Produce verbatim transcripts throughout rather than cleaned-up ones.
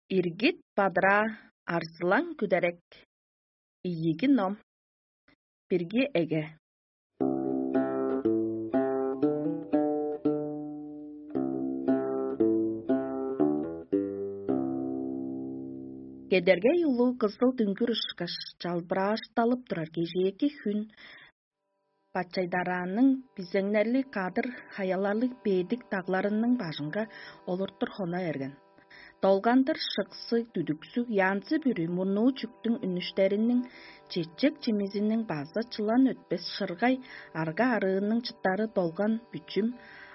Иргит бадыраа, арзылаң күдерек. Ийиги ном. Бирги эге. Кедергей улуу кызыл дүңгүр ышкаш чалбыраашталып турар кежээки хүн бачайдараанның бизеңнерлиг кадыр хаяларлыг бедик дагларының бажынга олуртур хона берген. Долгандыр шыксыг, дүдүксүг, янзы-бүрү мурнуу чүктүң үнүштериниң, чечек чимизиниң база чылан өтпес шыргай арга-арыының чыттары долган бүчүм,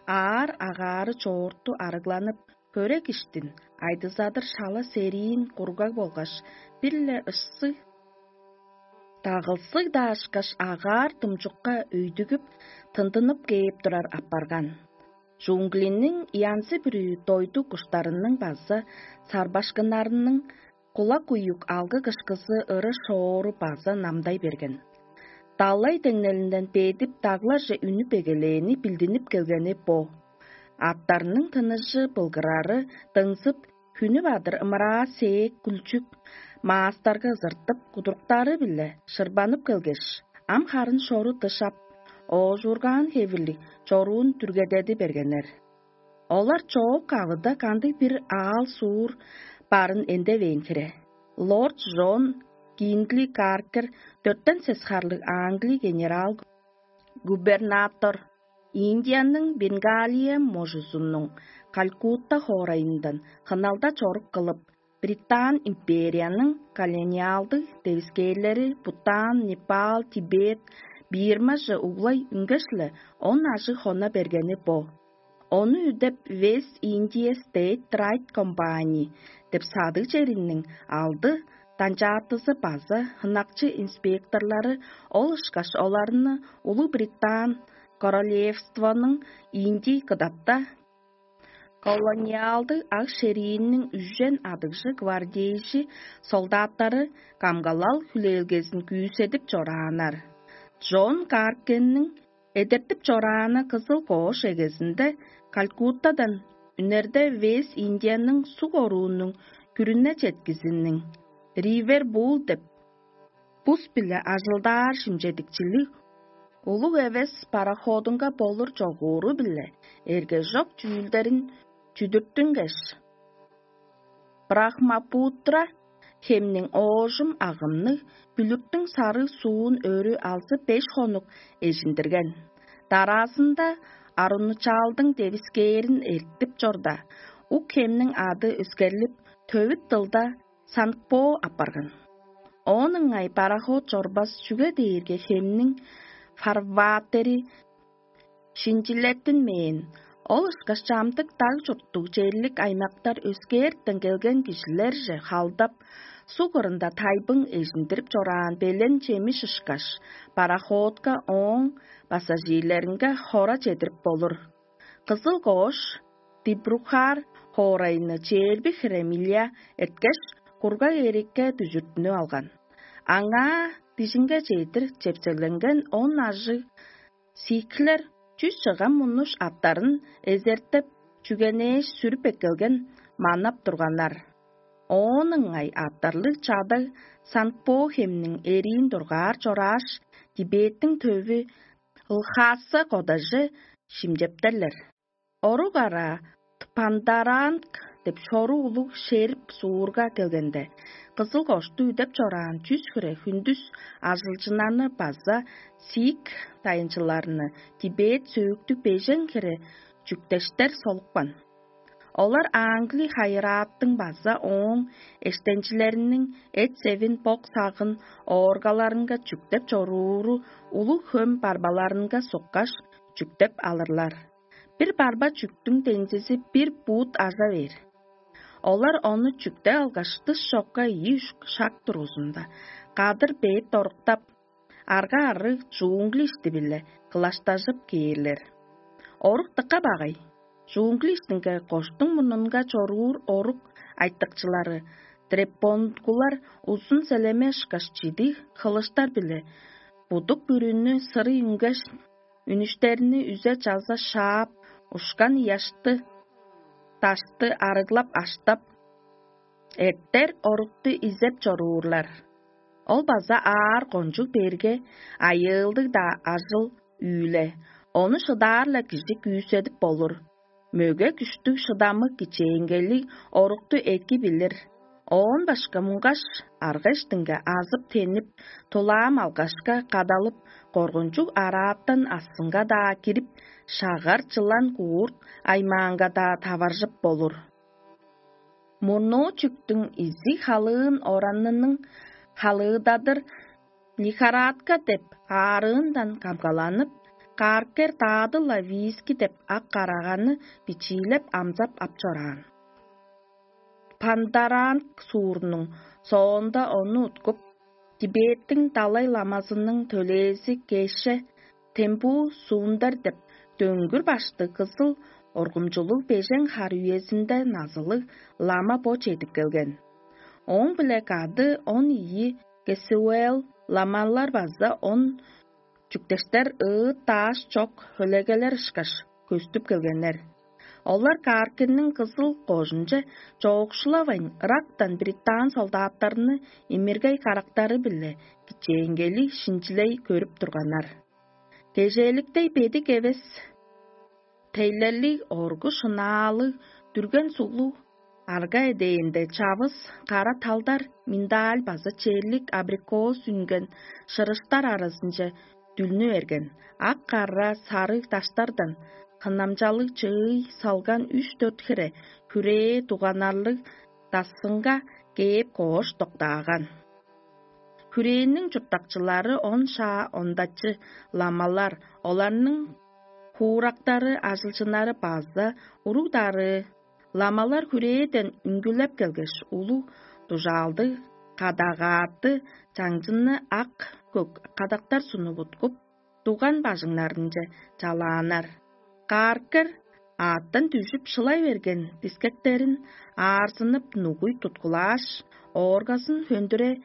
аар агаары чоорту арыгланып, хөрек иштин, айдызадыр шала сериин кургаг болгаш бир-ле ышсы дагылсыг-даа ышкаш агаар думчукка өйдүгүп, тындынып кээп турар апарган. Жунглиниң янзы-бүрү дойду куштарының база сарбашкыннарының кулак уюк алгы кышкызы ыры-шоору база намдай берген. Далай деңнелинден бедип, дагларже үнүп эгелээни билдинип келгени бо. Аттарның тыныжы былгырары дыңзып, хүнү бадыр ымыраа сээк күлчүк маастарга ызыртып, кудуруктары-биле шырбанып келгеш, ам харын шору дышап, оожургаан хевирлиг чоруун дүргедеди бергеннер. Олар чоок авыда кандыг-бир аал-суур барын эндевээн хире. Лорд Джон Гиндли Каркер, дөртен сес харлыг Англи генерал-губернатор, Индияның Бенгалия можузунуң Калькутта хоорайындан хыналда чорук кылып, Британ империяның колониалдыг девискээрлери Бутан, Непал, Тибет, Бирмаже углай үнгеш-ле, он ажыг хона бергени бо. Ону үдеп, West India State Trade Company деп садыг черинниң алды данчаатызы база хынакчы инспекторлары ол ышкаш оларны Улуг Британ королевствоның Индий кыдатта колониалдыг ак шериинниң үжен адыгжы гвардейжи солдаттары камгалал хүлээлгезин күүседип чорааннар. Джон Каркенниң эдертип чорааны кызыл коош эгезинде Калькуттадан үнерде Вес Индияның суг оруунуң күрүне четкизиниң Ривер Бул деп бус-биле ажылдаар шимчедикчилиг улуг эвес пароходунга болур чогууру-биле эргежок чүүлдерин чүдүрттүнгеш, Брахмапутра хемниң оожум агымныг бүлүктүң сарыг суун өрү алзы беш хонук эжиндирген. Дараазында Арунучалдың девискээрин эртип чорда, ук хемниң ады өскерлип, төвүт дылда Санкпо апарган. Оон ыңай пароход чорбас, чүге дээрге хемниң фарватери шинчилеттинмээн. Ол ышкаш чамдык даг чурттуг черлик аймактар өскээртен келген кижилерже халдап, суг кырында тайбың эжиндирип чораан белен чемиш ышкаш, пароходка, ооң пассажирлеринге хора чедирип болур. Кызыл коош Дибрухар хоорайны чээрби хире миля эрткеш, кургаг эрикке дүжүртүнүп алган. Аңаа дижинге чедир чепсегленген он ажыг сикхлер чүс чыган мунуш аттарын эзертеп, чүгенээш сүрүп эккелген манап турганнар. Оон ыңай аттарлыг чадаг Санпо хемниң эриин дургаар чорааш, Тибеттиң төвү Лхаса кодаже шимчептерлер. Орук араа Тпандаранг деп шору улуг шерп суурга келгенде, кызыл кошту үдеп чораан чүс хире хүндүс ажылчыннарны база сик дайынчыларны Тибет сөөктүг бежен хире чүктештер солупкан. Олар Англи хайырааттың база ооң эштенчилериниң эт-севин, бок-сагын ооргаларынга чүктеп чорууру улуг хөм барбаларынга суккаш, чүктеп алырлар. Бир барба чүктүң дензизи бир бут ажа бээр. Олар ону чүктеп алгаш, дыш чокка ийи-үш шак тургузунда, кадыр бээт доруктап, арга-арыг джунгли ишти-биле кылаштажып кээрлер. Орук дыка багай. Джунгли иштинге коштуң мурнунга чоруур орук айтыкчылары, дрепонгулар узун селеме ышкаш чидиг хылыштар-биле будук бүрүнү сырый үнгеш, үнүштерни үзе-чаза шаап, ушкан ыяшты, дашты арыглап аштап, Эртер орукту изеп чоруурлар. Ол база аар кончуг берге, айыылдыг-даа ажыл үүле, ону шыдаар-ла кижи күүседип болур. Мөге күштүг шыдамык кичээнгейлиг орукту эки билир. Оон башка муңгаш, арга-иштинге азып-тенип, тулаам алгашка кадалып, коргунчуг арааттан астынга-даа кирип, шагар чылан куурт аймаанга-даа таваржып болур. Мурнуу чүктүң изиг халыын оранының халыыдадыр лихорадка деп аарыындан камгаланып, кааркер даадыл-ла виски деп ак караганы бичиилеп амзап ап чораан. Пандаранг суурнуң соонда ону уткуп, Тибеттиң далай ламазының төлээзи кеше Тембу Сундар деп дөңгүр башты кызыл оргумчулуг бежен хар үезинде назылыг лама бо чедип келген. Ооң-биле кады он ийи Кесуэл ламалар база он чүктештер ыыт-дааш чок хөлегелер ышкаш көстүп келгеннер. Олар кааркенниң кызыл кожунче чоокшулавайн, ырактан бритаан солдаттарны имиргей карактары-биле кичээнгейлиг шинчилей көрүп турганнар. Кежээликтей бедик эвес, тейлерлиг, оргу шынаалыг, дүрген суглуг арга эдээнде чавыс кара талдар, миндааль база черлик абрикос үнген шырыштар аразынче дүлнү берген, ак-кара сарыг даштардан хынамчалыг чыый салган үш-дөрт хире хүрээ дуганарлыг дасынга кээп коош доктааган. Хүрээниң чурттакчылары он шаа ондачы ламалар, оларның хуурактары, ажылчыннары база уруг-дарыы. Ламалар хүрээден үнгүлеп келгеш, улуг дужаалдыг кадагааты чаңчынны ак-көк кадактар сунуп уткуп, дуган бажыңнарынче чалааннар. Кааркер аъттан дүжүп шылай берген дискектерин аарзынып нугуй туткулааш, ооргазын хөндүре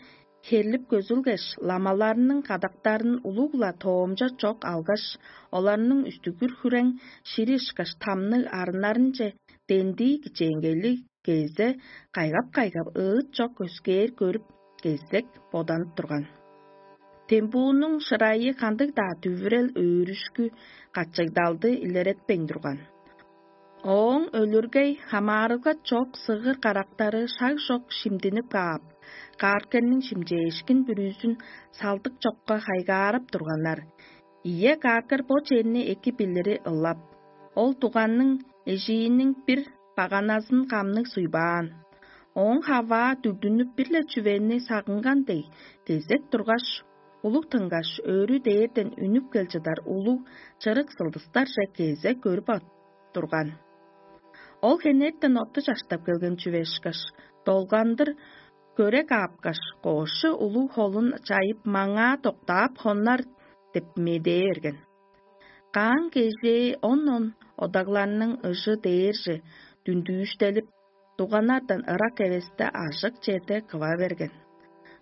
херлип көзүлгеш, ламаларның кадактарын улуг-ла тоомча чок алгаш, оларның үстүгүр хүрең шири ышкаш тамныг арыннарынче дендии кичээнгейлиг кезе кайгап-кайгап ыыт чок өскээр көрүп, кезек боданып турган. Тембуунуң шырайы кандыг-даа дүвүрел өөрүшкү, качыгдалды илеретпейн турган. Ооң өлүргей хамаарылга чок сыгыр карактары шаг чок шимдинип каап, кааркенниң шимчээшкин бүрүзүн салдык чокка хайгаарап турганнар. Ийе, кааркер бо черни эки билири ылап, ол дуганның эжииниң бир баганазын камныг суйбаан. Ооң хаваа дүгдүнүп, бир-ле чүвени сагынган дег, кезек тургаш, улуг тынгаш, өрү дээрден үнүп кел чыдар улуг чырык сылдыстарже кезек көрүп турган. Ол хенертен отту чаштап келген чүве ышкаш, долгандыр көре каапкаш, коошчу улуг холун чайып, маңаа доктаап хоннар деп медээ берген. Каан кежээ он-он одагларның ыжы дээрже дүндүүштелип, дуганардан ырак эвесте ажык черде кыва берген.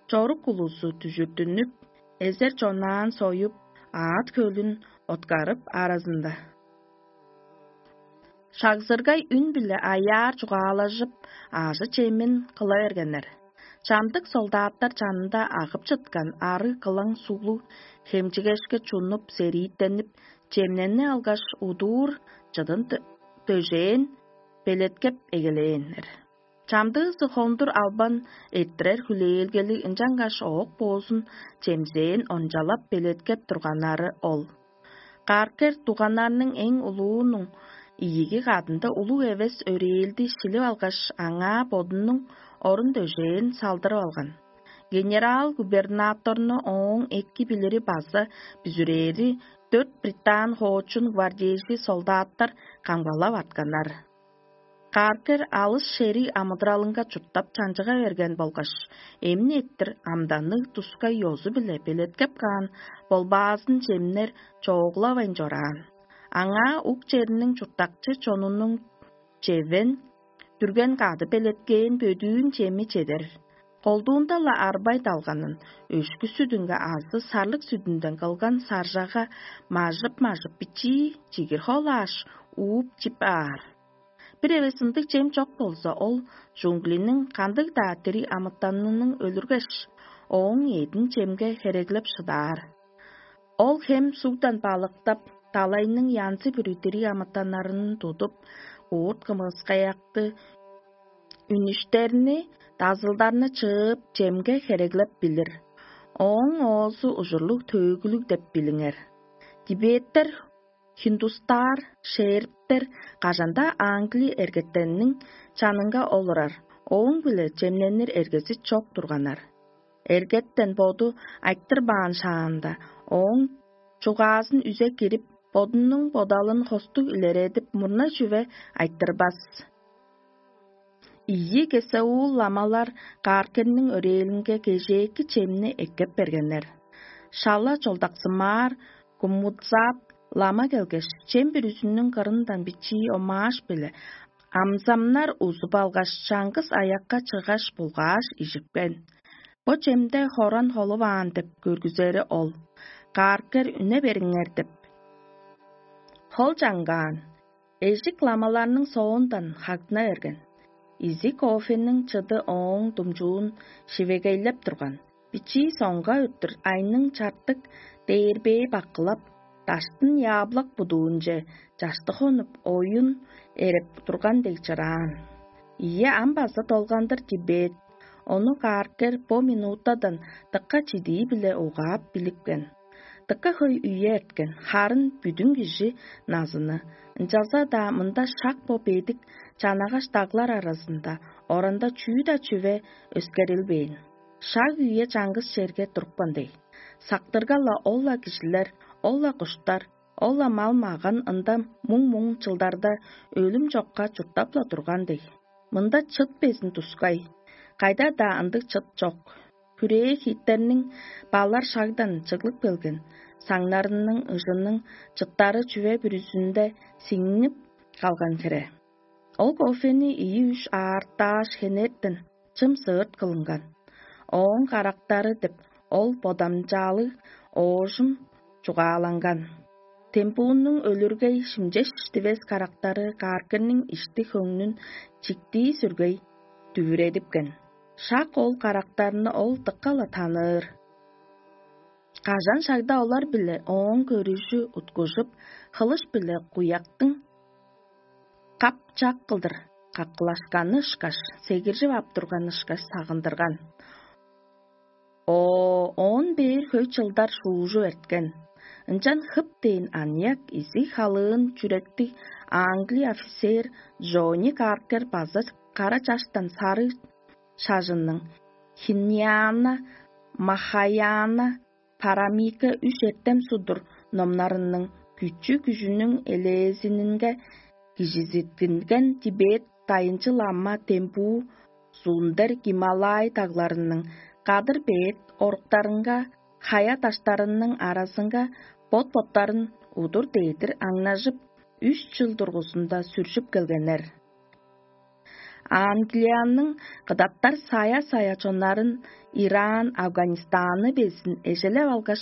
Чорук улузу дүжүрдүнүп, эзер чонаан союп, аът хөлүн откарып аразында. Шагзыргай үн-биле аяар чугаалажып, аажы-чемин кыла бергеннер. Чамдык солдаттар чанында агып чыткан арыг кылаң суглуг хемчигешке чунуп, серииттенип, чемнени алгаш, удуур чыдын дөжээн белеткеп эгелээннер. Чамдыызы хондур албан эрттирер хүлээлгелиг, ынчангаш оок боозун чемзээн ончалап белеткеп турганнары ол. Каркер дуганнарның эң улуунуң ийиги кадында улуг эвес өрээлди шилип алгаш, аңаа бодунуң орун-дөжээн салдырып алган. Генерал-губернаторну ооң эки билири база бүзүрээри дөрт британ хоочун гвардейжи солдаттар камгалап артканнар. Каркер алыс шериг амыдыралынга чурттап чанчыга берген болгаш, эмни эттир амданныг тускай ёзу-биле белеткеп каан болбаазын чемнер чооглавайн чораан. Аңаа ук черниң чурттакчы чонунуң чевен, дүрген кады белеткээн бөдүүн чеми чедер. Колдуунда-ла арбай далганын, өшкү сүдүнге азы сарлык сүдүнден кылган саржага мажып-мажып, бичии чигир холааш, ууп чип аар. Бир эвес ындыг чем чок болза, ол джунглиниң кандыг-даа дириг амытанының өлүргеш, ооң эъдин чемге хереглеп шыдаар. Ол хем сугдан балыктап, далайның янзы-бүрү дириг амытаннарын тудуп, уут кымыскаякты, үнүштерни, дазылдарны чыып, чемге хереглеп билир. Ооң оозу ужурлуг төөгүлүг деп билиңер. Тибеттер, хиндустар, шерптер кажан-даа Англи эргеттенниң чанынга олурар, ооң-биле чемненир эргези чок турганнар. Эргеттен боду айтырбаан шаанда, ооң чугаазын үзе кирип, бодунуң бодалын хостуг илередип, мурна чүве айтырбас. Ийи кесеул ламалар Кааркерниң өрээлинге кежээки чемни эккеп бергеннер. Шала чолдаксымаар Кумудзап лама келгеш, чем бүрүзүнүң кырындан бичии омааш-биле амзамнар узуп алгаш, чаңгыс аякка чыгаш, булгааш, ижипкен. Бо чемде хоран холуваан деп көргүзери ол. Кааркер үне бериңер деп. Хол чаңгаан, эжик ламаларның соондан хагдына берген. Изиг кофениң чыды ооң думчуун шивегейлеп турган. Бичии соңга өттүр айның чартык дээрбээ баккылап, даштын яаблак будуунче чаштык хонуп, оюн эреп турган дег чыраан. Ийе, ам база долгандыр Тибет. Ону Кааркер бо минутадан дыка чидии-биле угаап билипкен. Дыка хөй үе эрткен, харын бүдүн кижи назыны. Ынчалза-даа мында шак бо бедик чанагаш даглар аразында оранда чүү-даа чүве өскерилбээн. Шаг үе чаңгыс черге турупкан дег. Сактырга-ла ол-ла кижилер, ол-ла куштар, ол-ла мал-маган ында муң-муң чылдарда өлүм чокка чурттап-ла турган дег. Мында чыт безин тускай, кайда-даа ындыг чыт чок. Хүрээ хииттерниң балар шагдан чыглып келген саңнарының ыжының чыттары чүве бүрүзүнде сиңнип калган хире. Ол кофени ийи-үш аартааш хенертен чым сыырт кылынган. Ооң карактары деп ол бодамчаалыг оожум чугааланган. Тембуунуң өлүргей шимчеш дивес карактары кааргырның ишти хөңнүн чиктии сүргей дүвүредипкен. Шак ол карактарны ол дыка-ла таныыр. Кажан шагда олар-биле ооң көрүжү уткужуп, хылыш-биле куяктың кап-чак кылдыр каккылашканы ышкаш, сегиржип ап турганы ышкаш сагындырган. О, оон бээр хөй чылдар шуужуп эрткен. Ынчан хып дээн аныяк изиг халыын чүректиг англи офицер Джонни Каркер база кара чаштан сарыг шажынның Хиньяна, Махаяна, Парамика үш эртем судур номнарының күчү-күжүнүң элээзининге кижизиттинген Тибет дайынчы лама Тембу, Сундер Гималай дагларының кадыр-бээт оруктарынга, хая-даштарының аразынга бот-боттарын удур-дедир аңнажып, үш чыл дургузунда сүржүп келгеннер. Англияның кыдаттар сая-сая чоннарын Иран, Афганистаны безин эжелеп алгаш,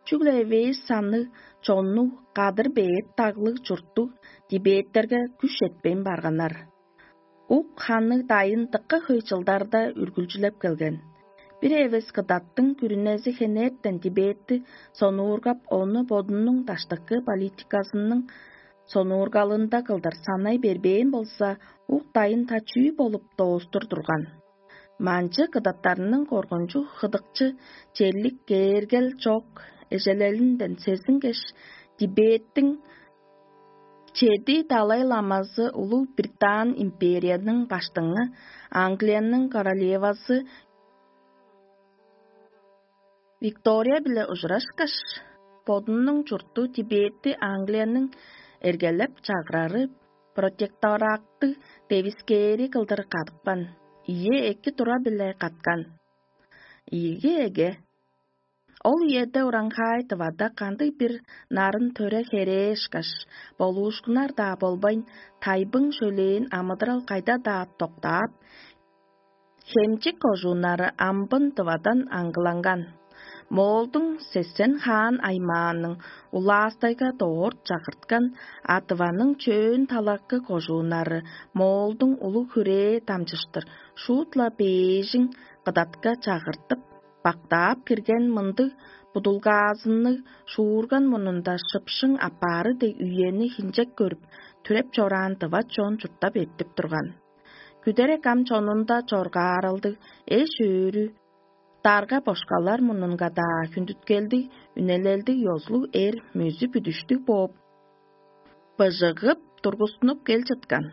чүгле эвээш санныг чоннуг кадыр-бээт даглыг чурттуг Тибеттерге күш четпейн барганнар. Ук ханныг дайын дыка хөй чылдарда үргүлчүлеп келген. Бир эвес кыдаттың күрүнези хенертен Тибетти сонуургап, ону бодунуң даштыкы политиказының сонуургалында кылдыр санай бербээн болза, ук дайын та чүү болуп доостур турган. Манчы кыдаттарының коргунчуг хыдыкчы черлик кээргел чок эжелелинден сезингеш, Тибеттиң чеди далай ламазы улуг Британ империяның баштыңы, Англияның королевазы Виктория-биле ужурашкаш, бодунуң чурту Тибетти Англияның эргелеп чагырары протектораттыг девискээри кылдыр кадыпкан, ийи эки тура-биле каткан. Ийиги эге. Ол үеде ураңхаай Тывада кандыг-бир нарын төре херээшкаш, болуушкуннар-даа болбайн, тайбың шөлээн амыдырал кайда-даа доктаап, Хемчик кожууннары амбын Тывадан аңгыланган. Моолдуң сесен хаан аймааның улаастайга доор чагырткан, а Тываның чөөн талакы кожууннары Моолдуң улуг хүрээ дамчыштыр шуут-ла бээжиң кыдатка чагыртып, бактаап кирген мындыг будулгаазынныг шуурган мурнунда шыпшың аппаары дег үени хинчек көрүп, түреп чораан дыват чон чурттап эртип турган. Күдерек ам чонунда чоргааралдыг эш-өөрү, дарга-бошкалар мурнунга-даа хүндүткелдиг, үнелелдиг ёзулуг эр мөзү бүдүштүг бооп, быжыгып тургустунуп кел чыткан.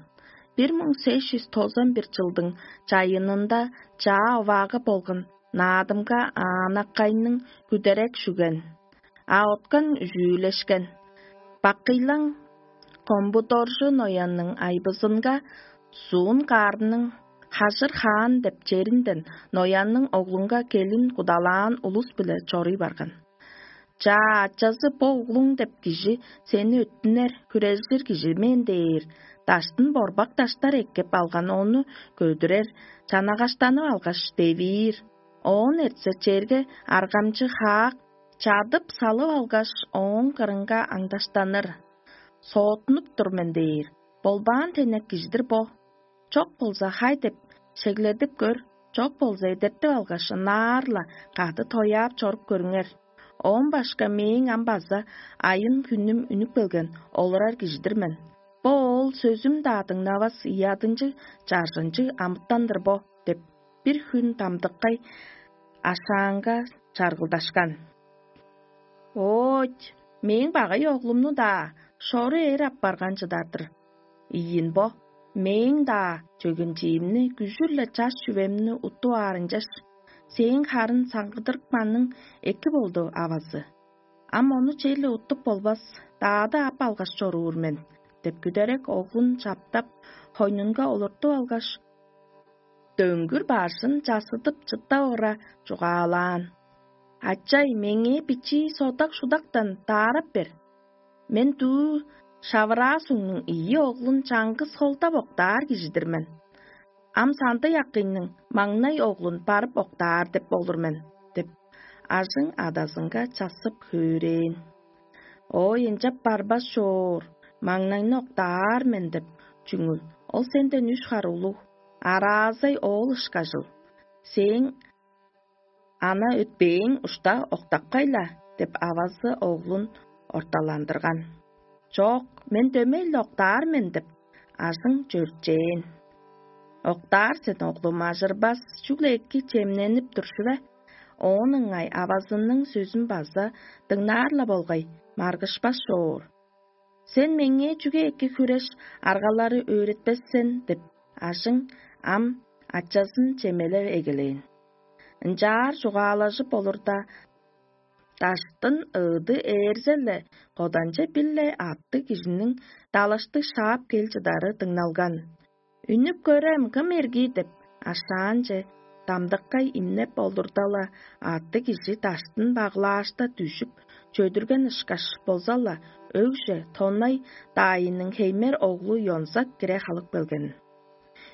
Бир муң сес чүс тозан бир чылдың чайынында чаа оваагы болган Наадымга аанаккайның күдерек шүген, а откан үжүүлешкен. Бакыйлаң Комбудоржу Ноянның айбызынга суун каарының хажыр хаан деп черинден Ноянның оглунга келин кудалаан улус-биле чоруй барган. Чаа ачазы бо углуң деп кижи сени өттүнер, хүрежир кижи мен дээр, даштын борбак даштар эккеп алган ону көдүрер, чанагаштанып алгаш девиир. Оон эртсе черге аргамчы хаак чадып салып алгаш, ооң кырынга аңдаштаныр. Соотунуп тур мен дээр, болбаан тенек кижидир бо. Чок болза хай деп шегледип көр, чок болза эдертип алгаш, ынаар-ла кады тояап чоруп көрүңер. Оон башка мээң ам база айын-хүнүм үнүп келген олурар кижидир мен. Бо ол сөзүм-даа дыңнавас ыядынчыг чаржынчыг амытан-дыр бо деп, бир хүн дамдыккай ашаанга чаргылдашкан. Ооть, мээң багай оглумну-даа шору эр аппарган чыдар-дыр. Ийин бо, мээң-даа чөгенчиимни күжүр-ле чаш чүвемни уттуп аар ынчаш, сээң харын саңгыдырыпканың эки болду, авазы. Ам ону черле уттуп болбас, даады ап алгаш чоруур мен, деп күдерек оглун чаптап, хойнунга олуртуп алгаш, дөңгүр бажын часыдып чыттап ора чугаалаан: «Ачай, меңээ бичии содак-шудактан даарап бер. Мен дуу шавыраа сугнуң ийи оглун чаңгыс холдап октаар кижи-дир мен. Ам сандыг акыйның маңнай оглун барып октаар деп болур мен», — деп, ажың адазынга чассып хөөрээн. «Ой, ынчап барбас чоор, маңнайны октаар мен деп, чүңүл, ол сенден үш хар улуг, араазай оол ышкажыл. Сээң ана өтпээң ушта октапкай-ла», — деп, авазы оглун орталандырган. «Чок, мен дөмей-ле октаар мен» — деп, ажың чөрчээн. «Октаар сен, оглум, ажырбас, чүгле эки чемненип тур шүве». Оон ыңай авазының сөзүн база дыңнаар-ла болгай, маргышпас чоор. «Сен меңээ чүге эки хүреш аргалары өөретпес сен?» — деп, ажың ам ачазын чемелеп эгелээн. Ынчаар чугаалажып олурда, даштын ыыды ээрзе-ле, коданче бир-ле аъттыг кижиниң далаштыг шаап кел чыдары дыңналган. «Үнүп көрем, кым эргий?» — деп, ашаанче дамдыккай имнеп олурда-ла, аъттыг кижи даштын баглаашта дүжүп, чөдүрген ышкаш болза-ла, өгже тоннай даайының хеймер оглу Ёнзак кире халып келген.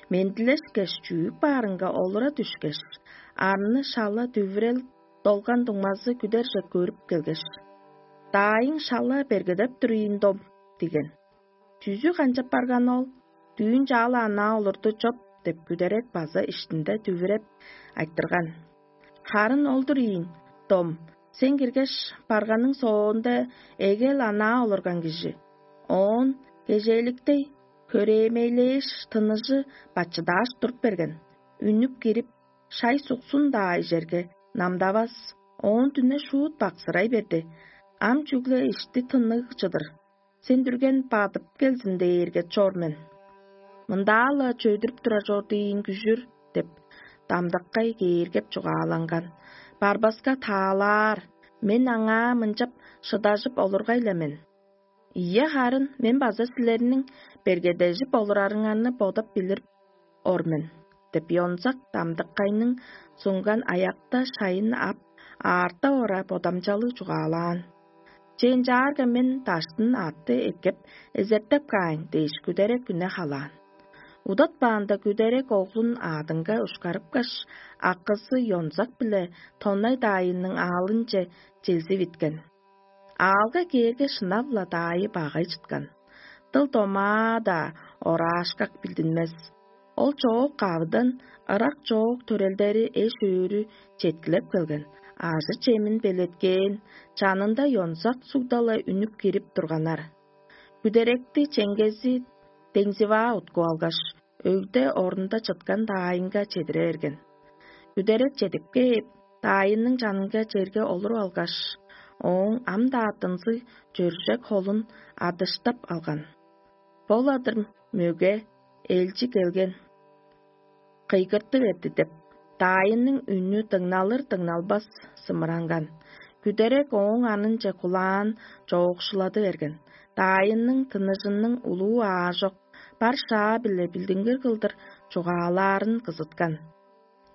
Мендилешкеш, чүүк баарынга олура дүшкеш, арны шала дүвүрел долган дуңмазы күдерже көрүп келгеш: «Даайың шала бергедеп тур ийин, дом» — диген. «Чүзү канчап барган ол? Дүүн чаала анаа олурду чоп» — деп, күдерек база иштинде дүвүреп айтырган. «Харын ол-дур ийин, дом, сен киргеш, барганың соонда эгел анаа олурган кижи. Оон кежээликтей, хөрээmeйлээш, тыныжы бачыдааш туруп берген. Үнүп кирип, шай-суксун-даа ижерге намдавас, оон дүне шуут баксырай берди. Ам чүгле ишти тынныг чыдыр. Сен дүрген бадып келзин дээрге чор мен. Мындаа-ла чөйдүрүп турар чорду ийин күжүр» — деп, дамдаккай кээргеп чугааланган. «Барбаска таалаар, мен аңаа мынчап шыдажып олургай-ла мен. Ийе, харын мен база силерниң бергедежип олурарыңарны бодап билир ор мен» — деп, Ёнзак дамдыккайның сунган аякта шайын ап, аарта ора бодамчалыг чугаалаан. «Че, ынчаарга мен даштын аътты эккеп, эзертеп каайн» — дээш, күдерек үне халаан. Удатпаанда күдерек оглун аадынга ушкарыпкаш, акызы ёнзак-биле тоннай даайының аалынче чилзивиткен. Аалга кээрге, шынап-ла даайы багай чыткан. Дыл-домаа-даа ораашкак билдинмес. Ол чоок кавыдан ырак чоок төрелдери эш-өөрү четкилеп келген, ажы-чемин белеткээн, чанында ёнзак сугда-ла үнүп кирип турганнар. Күдеректи чеңгези деңзиваа уткуп алгаш, өгде орунда чыткан даайынга чедире берген. Күдерек чедип кээп, даайының чанынга черге олуруп алгаш, ооң ам-даа дынзыг чөржек холун адыштап алган. Бо-ла-дыр мөге, элчи келген, кыйгырты берди деп, даайының үнү дыңналыр-дыңналбас сымыранган. Күдерек ооң анынче кулаан чоокшулады берген. Даайының тыныжының улуу аажок, бар шаа-биле билдингир кылдыр чугаалаарын кызыткан.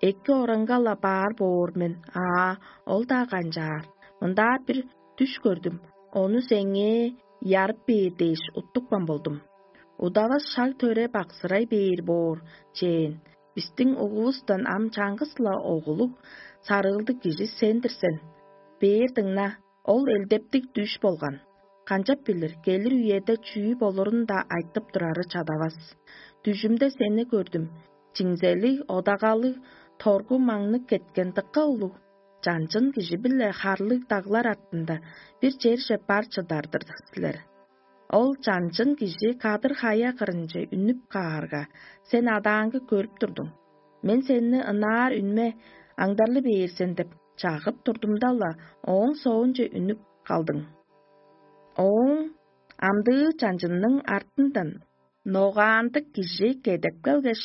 Эки ораңга-ла баар боор мен, аа, ол-даа канчаар. Мындаа бир дүш көрдүм, ону сеңээ ярып бээр дээш уттупкан болдум. Удавас шаг төре баксырай бээр боор, чээн. Бистиң угувустан ам чаңгыс-ла оглуг, сарыылдыг кижи сен-дир сен. Бээр дыңна, ол элдептиг дүш болган. Канчап билир, келир үеде чүү болурун-даа айтып турары чадавас. Дүжүмде сени көрдүм. Чиңзелиг, одагалыг, торгу маңныг кеткен дыка улуг чанчын кижи-биле харлыг даглар артында бир черже бар чыдар-дыр силер. Ол чанчын кижи кадыр хая кырынче үнүп каарга, сен адааңгы көрүп турдуң. Мен сени ынаар үнме аңдарлы бээр сен деп чагып турдумда-ла, ооң соонче үнүп калдың. Ооң амдыы чанчынның артындан ногаандык кижи кедеп келгеш,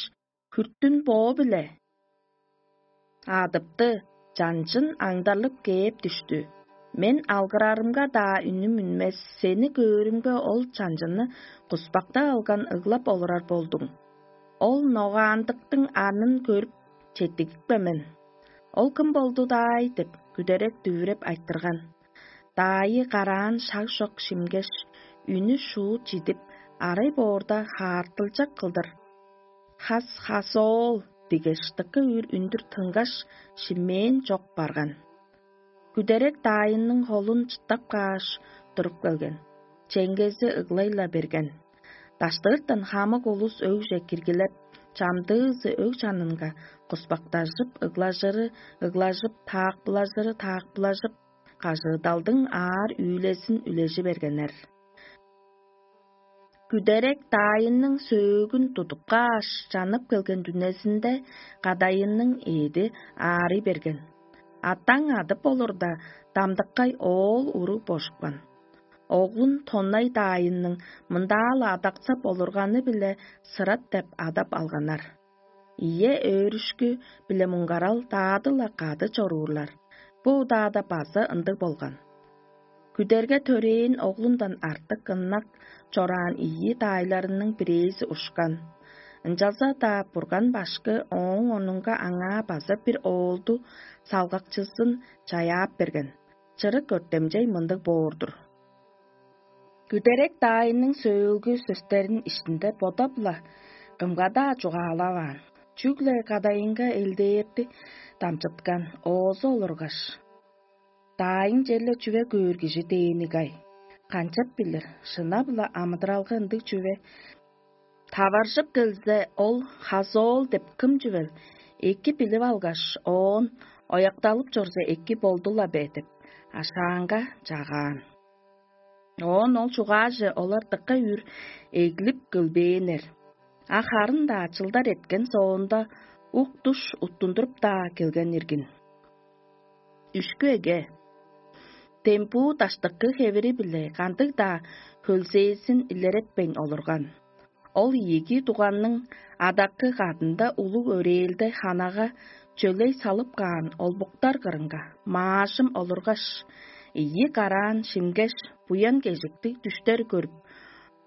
хүртүн боо-биле адыпты, чанчын аңдарлып кээп дүштү. Мен алгырарымга-даа үнүм үнмес, сени көөрүмге, ол чанчыны куспактап алган ыглап олурар болдуң. Ол ногаандыктың анын көрүп, четтигипкен мен. Ол кым болду-даай деп, күдерек дүвүреп айтырган. Даайы караан шаг чок шимгеш, үнү шуут чидип, арай боорда хаартылчак кылдыр: «Хас, хас оол!» — дигеш, дыка үр үндүр тынгаш, шимээн чок барган. Күдерек даайының холун чыттап кааш, туруп келген. Чеңгези ыглай-ла берген. Даштыыртан хамык улус өгже киргилеп, чамдыызы өг чанынга куспактажып, ыглажыры ыглажып, таакпылажыры таакпылажып, кажыыдалдың аар үүлезин үлежи бергеннер. Күдерек даайының сөөгүн тудуп кааш, чанып келген дүнезинде кадайының эъди аарый берген. Атаң адып олурда, дамдыккай оол уру божупкан. Оглун тоннай даайының мындаа-ла адаксап олурганы-биле Сырат деп адап алганнар. Ийе өөрүшкү биле муңгарал даады-ла кады чоруурлар. Бо удаада база ындыг болган. Күдерге төрээн оглундан артык ынак чораан ийи даайларының бирээзи ушкан. Ынчалза-даа Бурган башкы ооң онунга аңаа база бир оолду салгакчызын чаяап берген. Чырык өртемчей мындыг боор-дур. Күдерек даайының сөөлгү сөстерин иштинде бодап-ла кымга-даа чугаалаваан, чүгле кадайынга элдээрди дамчыткан, оозу олургаш: «Даайың черле чүве көөр кижи дээни-гай? Канчап билир, шынап-ла амыдыралга ындыг чүве таваржып келзе, ол хазоол деп кым чүвел эки билип алгаш, оон оякталып чорза, эки болду-ла бе?» — деп ашаанга чагаан. Оон ол чугааже олар дыка үр эглип көлбээннер. А харын-даа чылдар эрткен соонда ук-душ уттундуруп-даа келген иргин. Үшкү эге дембуу даштыкы хевири-биле кандыг-даа хөлзээзин илеретпейн олурган. Ол ийиги дуганның адакы кадында улуг өрээлде ханага чөлей салып каан олбуктар кырынга маажым олургаш, ийи караан шимгеш, буян кежиктиг дүштер көрүп,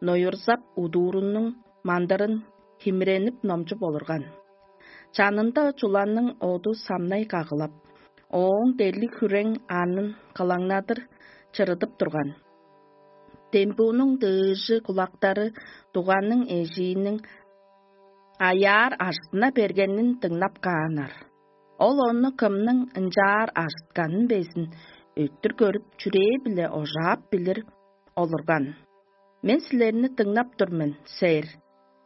ноюрзап, удуурунуң мандырын химиренип номчуп олурган. Чанында чуланның оду самнай кагылап, ооң дерлиг хүрең анын кылаңнадыр чырыдып турган. Дембуунуң дыыжы кулактары дуганның эжииниң аяар ажыттына бергенин дыңнап кааннар. Ол ону кымның ынчаар ажытканын безин өттүр көрүп, чүрээ-биле ожаап билир олурган. «Мен силерни дыңнап тур мен, сэр.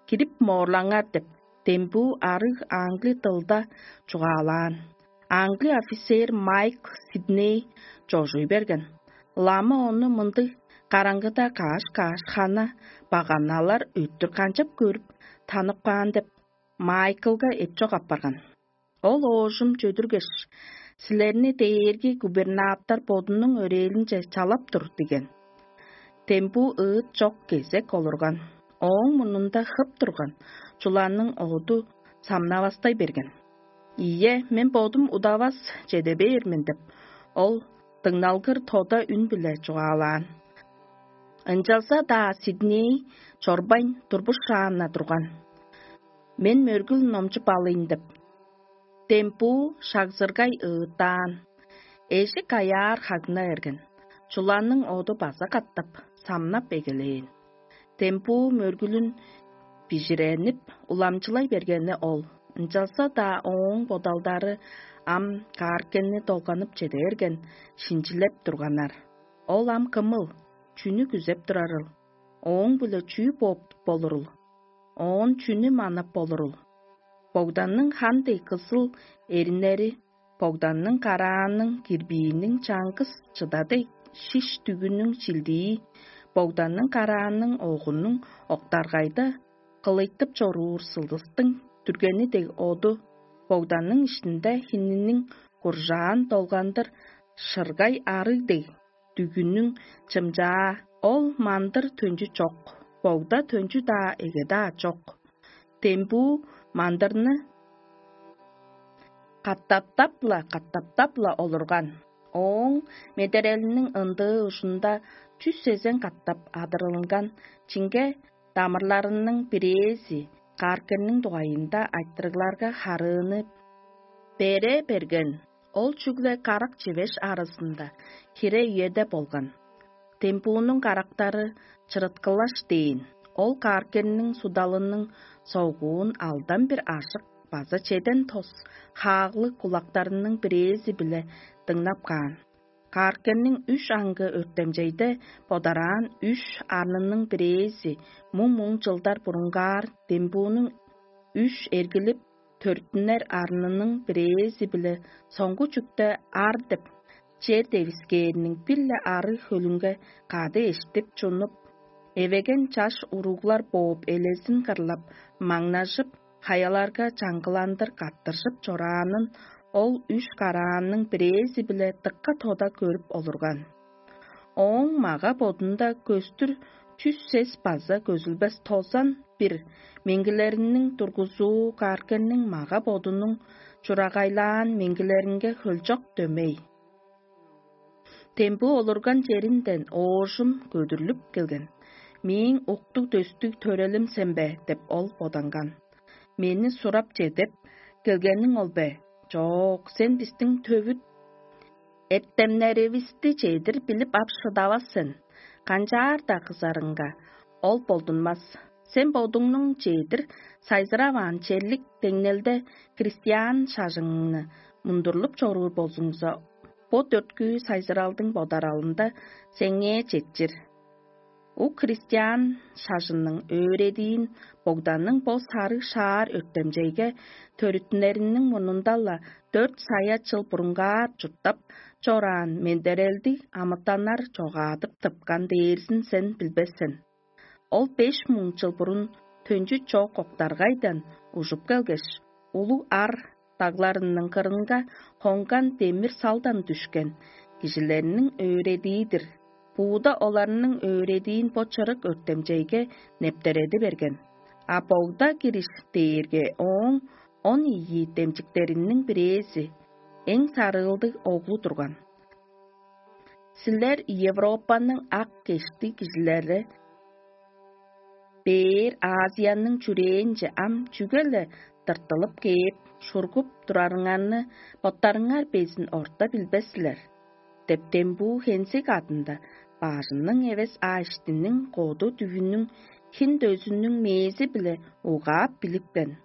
Кирип моорлаңар» — деп, дембүү арыг аңгли дылда чугаалаан. Аңгли офицер Майкл Сидней чожуй берген. Лама ону мындыг караңгыда каш-каш хана баганалар өттүр канчап көрүп, танып каан деп, Майклга эпчок апарган. Ол оожум чөдүргеш: «Силерни дээрги губернатор бодунуң өрээлинче чалап тур» — диген. Дембүү ыыт чок кезек олурган. Ооң мурнунда хып турган чуланның оду самнавастай берген. «Ийе, мен бодум удавас чеде бээр мен» — деп, ол дыңналгыр тода үн-биле чугаалаан. Ынчалза-даа Сидней чорбайн, турбушаан-на турган. «Мен мөргүл номчуп алыйн» — деп, дембуу шагзыргай ыыттаан. Эжик аяар хагна берген. Чуланның оду база катап самнап эгелээн. Дембуу мөргүлүн бижиренип, уламчылай бергени ол. Ынчалза-даа ооң бодалдары ам кааркенни долганып чеде берген, шинчилеп турганнар. Ол ам кымыл, чүнү күзеп турарыл? Ооң-биле чүү бооп болурул? Оон чүнү манап болурул? Богданның хан дег кызыл эриннери, Богданның караанның кирбииниң чаңгыс чыда дег шиш дүгүнүң чилдии, Богданның караанның огунуң октаргайда кылыйтып чоруур сылдыстың дүргени дег оду, Богданның иштинде хининиң куржаан долгандыр шыргай арыг дег дүгүнүң чымчаа, ол мандыр төнчү чок, богда төнчү-даа эге-даа чок. Дембүү мандырны каттаптап-ла, каттаптап-ла олурган. Ооң медерелиниң ындыы ужунда чүс сезен катап адырылган чиңге дамырларының бирээзи кааркенниң дугайында айтырыгларга харыыны бере берген. Ол чүгле карак чивеш аразында хире үеде болган. Дембуунуң карактары чырыткылаш дээн. Ол кааркенниң судалының согуун алдан бир ажык база чеден тос хааглыг кулактарының бирээзи-биле дыңнап каан. Кааркенниң үш аңгы өртемчейде бодараан үш арнының бирээзи муң-муң чылдар бурунгаар дембуунуң үш эргилип төрүттүнер арнының бирээзи-биле соңгу чүкте ар деп чер девискээриниң бир-ле арыг хөлүнге кады эштип чунуп, эвеген чаш уруглар бооп элезин кырлап, маңнажып, хаяларга чаңгыландыр каттыржып чораанын ол үш караанның бирээзи-биле дыка тода көрүп олурган. Ооң мага-бодунда көстүр чүс сес база көзүлбес тозан бир меңгилериниң тургузуу кааркенниң мага-бодунуң чурагайлаан меңгилеринге хөлчок дөмей. Дембүү олурган черинден оожум көдүрлүп келген. «Мээң уктуг-дөстүг төрелим сен бе?» — деп ол боданган. «Мени сурап чедеп келгениң ол бе? Чок, сен бистиң төвүт эртемнеривисти чедир билип ап шыдавас сен. Канчаар-даа кызарыңга, ол болдунмас. Сен бодуңнуң чедир сайзыраваан черлик деңнелде христиан шажыңны мундурлуп чоруур болзуңза, бо дөрткү сайзыралдың бодаралында сеңээ четчир. Ук христиан шажынның өөредиин Богданның бо сарыг шаар өртемчейге төрүттүнериниң мурнунда-ла дөрт сая чыл бурунгаар чурттап чораан мендерелдиг амытаннар чогаадып тыпкан дээрзин сен билбес сен. Ол беш муң чыл бурун төнчү чок октаргайдан ужуп келгеш, улуг ар дагларының кырынга хонган демир салдан дүшкен кижилерниң өөредии-дир. Бууда оларның өөредиин бо чырык өртемчейге нептереди берген. А богда кириш дээрге ооң он ийи демчиктериниң бирээзи, эң сарыылдыг оглу турган. Силер Европаның ак кешти кижилери бээр Азияның чүрээнче ам чүге-ле тыртылып кээп, шургуп турарыңарны боттарыңар безин орта билбес силер» — деп, дембуу хензиг адында бажының эвес аиштиниң коду дүвүнүң хин дөзүнүң мээзи-биле угаап билипкен.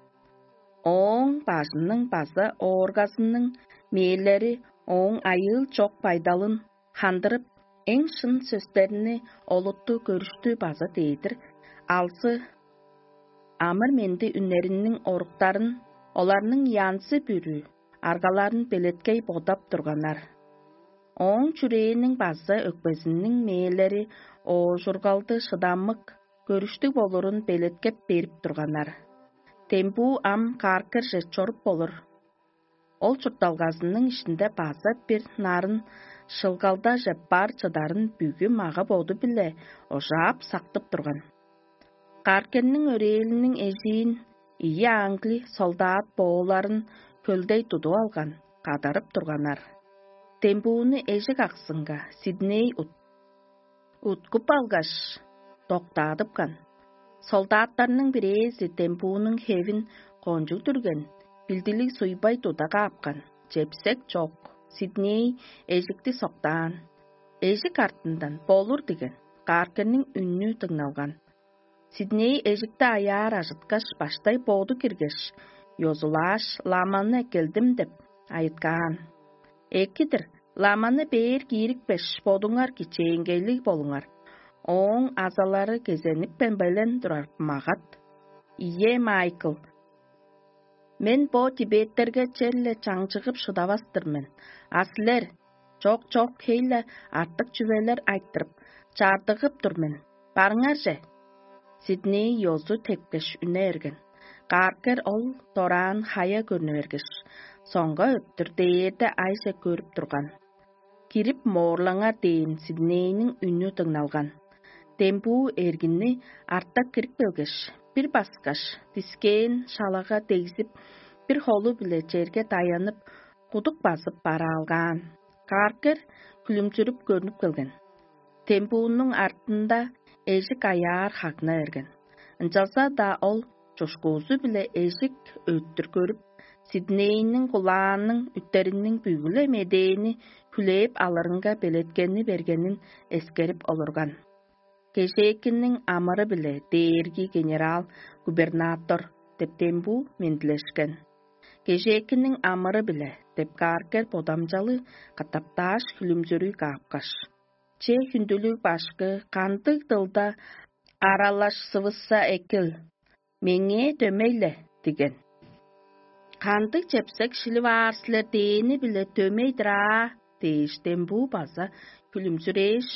Ооң бажының база ооргазының мээлери ооң айыыл чок байдалын хандырып, эң шын сөстерни олутту көрүштү база дээдир алзы амыр-менди үннериниң оруктарын, оларның янзы-бүрү аргаларын белеткей бодап турганнар. Ооң чүрээниң база өкпезиниң мээлери оожургалды шыдамык, көрүштүг болурун белеткеп берип турганнар. Дембуу ам кааркырже чоруп болур. Ол чуртталгазының иштинде база бир нарын шылгалдажып бар чыдарын бүгү мага-боду-биле ожаап сактып турган. Каркенниң өрээлиниң эжиин ийи аңгли солдат бооларын хөлдей тудуп алган, кадарып турганнар. Дембууну эжик аксынга Сидней ут-, уткуп алгаш, доктаадыпкан. Солдаттарның бирээзи дембуунуң хевин кончуг дүрген, билдилиг суйбай туда каапкан, чепсек чок, Сидней эжикти соктаан. Эжик артындан болур диген, Каркенниң үннү дыңналган. Сидней эжикти аяар ажыткаш, баштай боду киргеш, ёзулааш, ламаны эккелдим деп айыткаан. Эки-дир, ламаны бээр киирикпеш, бодуңар кичээнгейлиг болуңар. Ооң азалары кезенипкен белен турар магат. Ийе, Майкл, мен бо тибеттерге черле чаңчыгып шыдавас-тыр мен. А силер, чок-чок, хей-ле артык чүвелер айтырып, чаардыгып тур мен. Барыңар же! Сидней ёзу тепкеш үне эрген. Кааркер ол дораан хая көрнү бергеш, соңга өттүр дээрде айже көрүп турган. Кирип моорлаңар дээн Сиднейниң үнү дыңналган. Дембуу эргинни артта кирип келгеш, бир баскаш, дискээн шалага дегзип, бир холу-биле черге даянып, кудук базып бараалгаан. Кааркер күлүмчүрүп көрнүп келген. Дембуунуң артында эжик аяар хагна берген. Ынчалза-даа ол чушкуузу-биле эжик өттүр көрүп, Сиднейниң кулааның үттериниң бүгү-ле медээни хүлээп алырынга белеткени бергенин эскерип олурган. Кежээкинниң амыры-биле дээрги генерал-губернатор деп дембуу мендилешкен. Кежээкинниң амыры-биле деп кааргер бодамчалы катаптааш хүлүмзүрүй каапкаш. Че хүндүлүг башкы кандыг дылда аралашсывысса экил, меңээ дөмей-ле диген. Кандыг чепсек шилип аар силер дээни-биле дөмей-дир аа дээш дембуу база хүлүмзүрээш,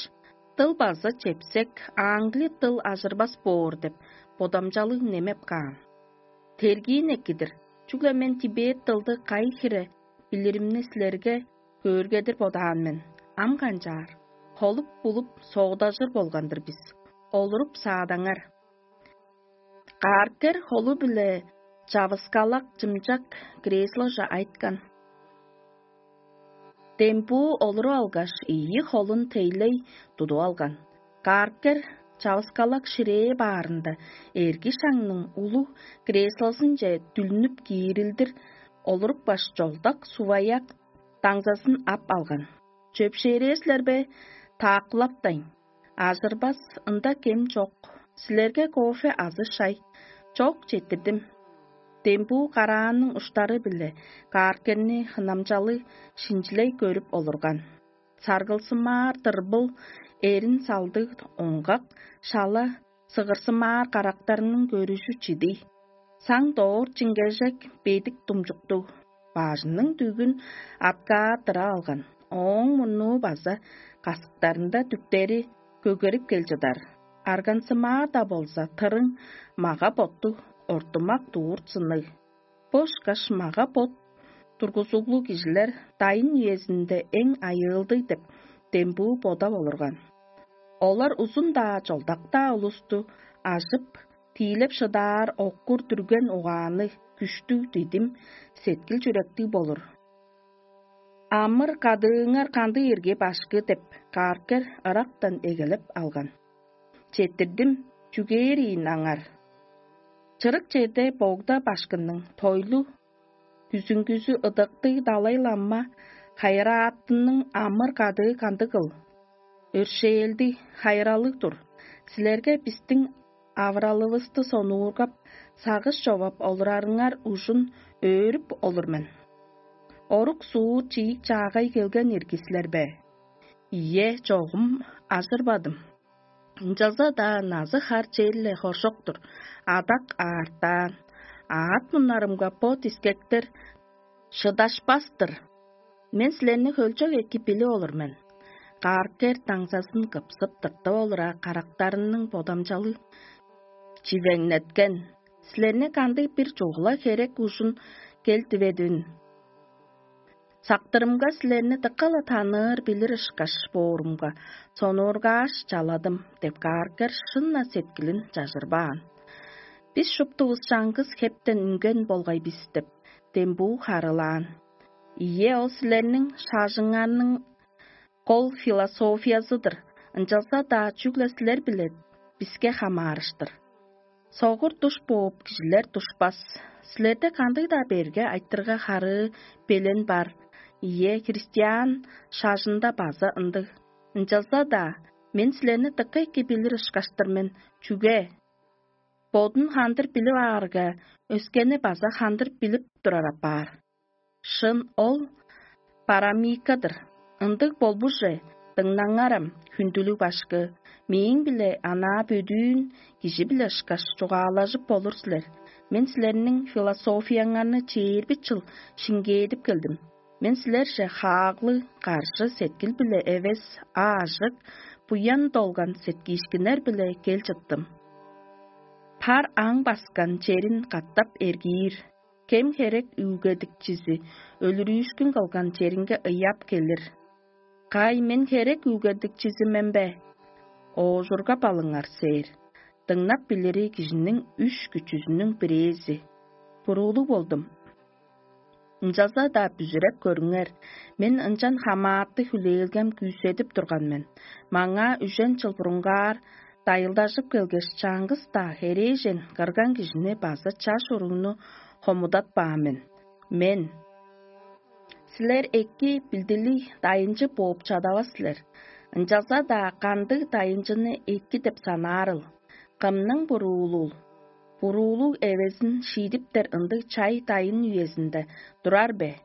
дыл база чепсек, аңгли дыл ажырбас боор деп бодамчалыг немеп каан. Тергиин экидир, чүгле мен тибет дылды кайы хире билиримни силерге көөргедир бодаан мен. Ам канчаар, холуп-булуп соодажыр болган-дыр бис. Олуруп саадаңар. Кааркер холу-биле чавыскалак чымчак кресложе айткан. Дембуу олуруп алгаш, ийи холун тейлей тудуп алган. Кааркер чавыскалак ширээ баарында эрги шаңның улуг креслозунче дүлнүп киирилдир олурупкаш, чолдак суваяк даңзазын ап алган. Чөпшээрээр силер бе? Тааккылаптайн. Ажырбас, ында кем чок. Силерге кофе азы шай? Чок, четтирдим. Дембуу караанның уштары-биле кааркерни хынамчалыг шинчилей көрүп олурган. Саргылсымаар дырбыл, эрин салдыг оңгак, шала сыгырсымаар карактарының көрүжү чидий. Саң доор чиңгежек бедик думчуктуг, бажының дүгүн аткааттыра алган, ооң мурнуу база касыктарында дүктери көгерип кел чыдар. Аргансымаар-даа болза, тырың мага-боттуг, ортумак дуур сынныг. Бо ышкаш мага-бот тургузуглуг кижилер дайын үезинде эң айыылдыг деп дембүү бодап олурган. Олар узун-даа, чолдак-даа улусту ажып, тиилеп шыдаар оккур дүрген угаанныг, күштүг, дидим, сеткил-чүректиг болур. «Амыр кадыыңар кандыг ирги, башкы?» — деп, кааргер ырактан эгелеп алган. «Четтирдим, чүгээр ийин аңар. Чырык черде богда башкынның тойлу күзүңгүзү ыдыктыг Далай-лама хайыраатының амыр кадыы кандыгыл? Өршээлдиг, хайыралыг-дур. Силерге бистиң авыралывысты сонуургап, сагыш човап олурарыңар ужун өөрүп олур мен. Орук суур чиик чаагай келген ирги силер бе? Ийе, чогум ажырбадым. Ынчалза-даа назы-хар черле хоржок-тур, адак аартаан. Аът муннарымга бо дискектер шыдашпас-тыр. Мен силерни хөлчок эки билип олур мен. Кааркер даңзазын кыпсып тыртып олура, карактарының бодамчалы чивеңнеткен. Силерни кандыг бир чугула херек ужун кел диведивин. Сактырымга силерни дыка-ла таныыр билир ышкаш боорумга, сонуургааш чаладым деп кааргар шынна сеткилин чажырбаан. Бис шуптувус чаңгыс хептен үнген болгай бис деп, дембуу харылаан. Ийе, ол силерниң шажыңарның кол философиязы-дыр, ынчалза-даа чүгле силер-биле биске хамаарыштыр. Согур душ бооп, кижилер душпас. Силерде кандыг-даа берге айтырга харыы белен бар. Ийе, христиан шажында база ындыг. Ынчалза-даа мен силерни дыка эки билир ышкаштыр мен. Чүге? Бодун хандыр билип аарга, өскени база хандыр билип турар апаар. Шын ол парамикадыр. Ындыг болбуже, дыңнаңарам, хүндүлүг башкы, мээң-биле анаа бөдүүн кижи-биле ышкаш чугаалажып болур силер. Мен силерниң философияңарны чээрби чыл шиңгээдип келдим. Мен силерже хааглыг, каржы сеткил-биле эвес, аажык, буян долган сеткиишкиннер-биле кел чыттым. Пар аң баскан черин катап эргиир, кем херек үүлгедикчизи өлүрүүшкүн кылган черинге ыяап келир. Кай, мен херек үүлгедикчизи мен бе? Оожурга балыңар сээр. Дыңнап билири кижиниң үш күчүзүнүң бирээзи. Буруулуг болдум. Ынчалза-даа бүзүреп көрүңер, мен ынчан хамааты хүлээлгем күүседип турган мен. Маңаа үжен чыл бурунгаар дайылдажып келгеш, чаңгыс-даа херээжен кырган кижини база чаш уругну хомудатпаан мен. Мен: «Силер эки билдилиг дайынчы бооп чадавас силер, ынчалза-даа кандыг дайынчыны эки деп санаарыл? Кымның буруулул? Буруулуг эвезин шиидиптер ындыг чай дайын үезинде турар бе?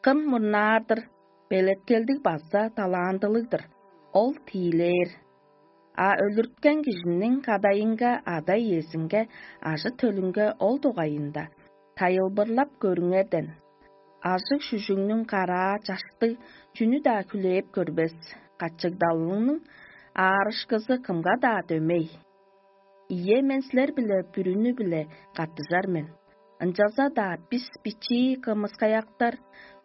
Кым мурнаар-дыр, белеткелдиг база талаандылыг-дыр, ол тиилээр. А өлүрткен кижиниң кадайынга, ада-иезинге, ажы-төлүнге ол дугайында тайылбырлап көрүңерден. Ажыг-шүжүгнүң караа чаштыг чүнү-даа хүлээп көрбес, качыгдалының аарышкызы кымга-даа дөмей. Ийе, мен силер-биле бүрүнү-биле каттыжар мен. Ынчалза-даа бис бичии кымыскаяктар,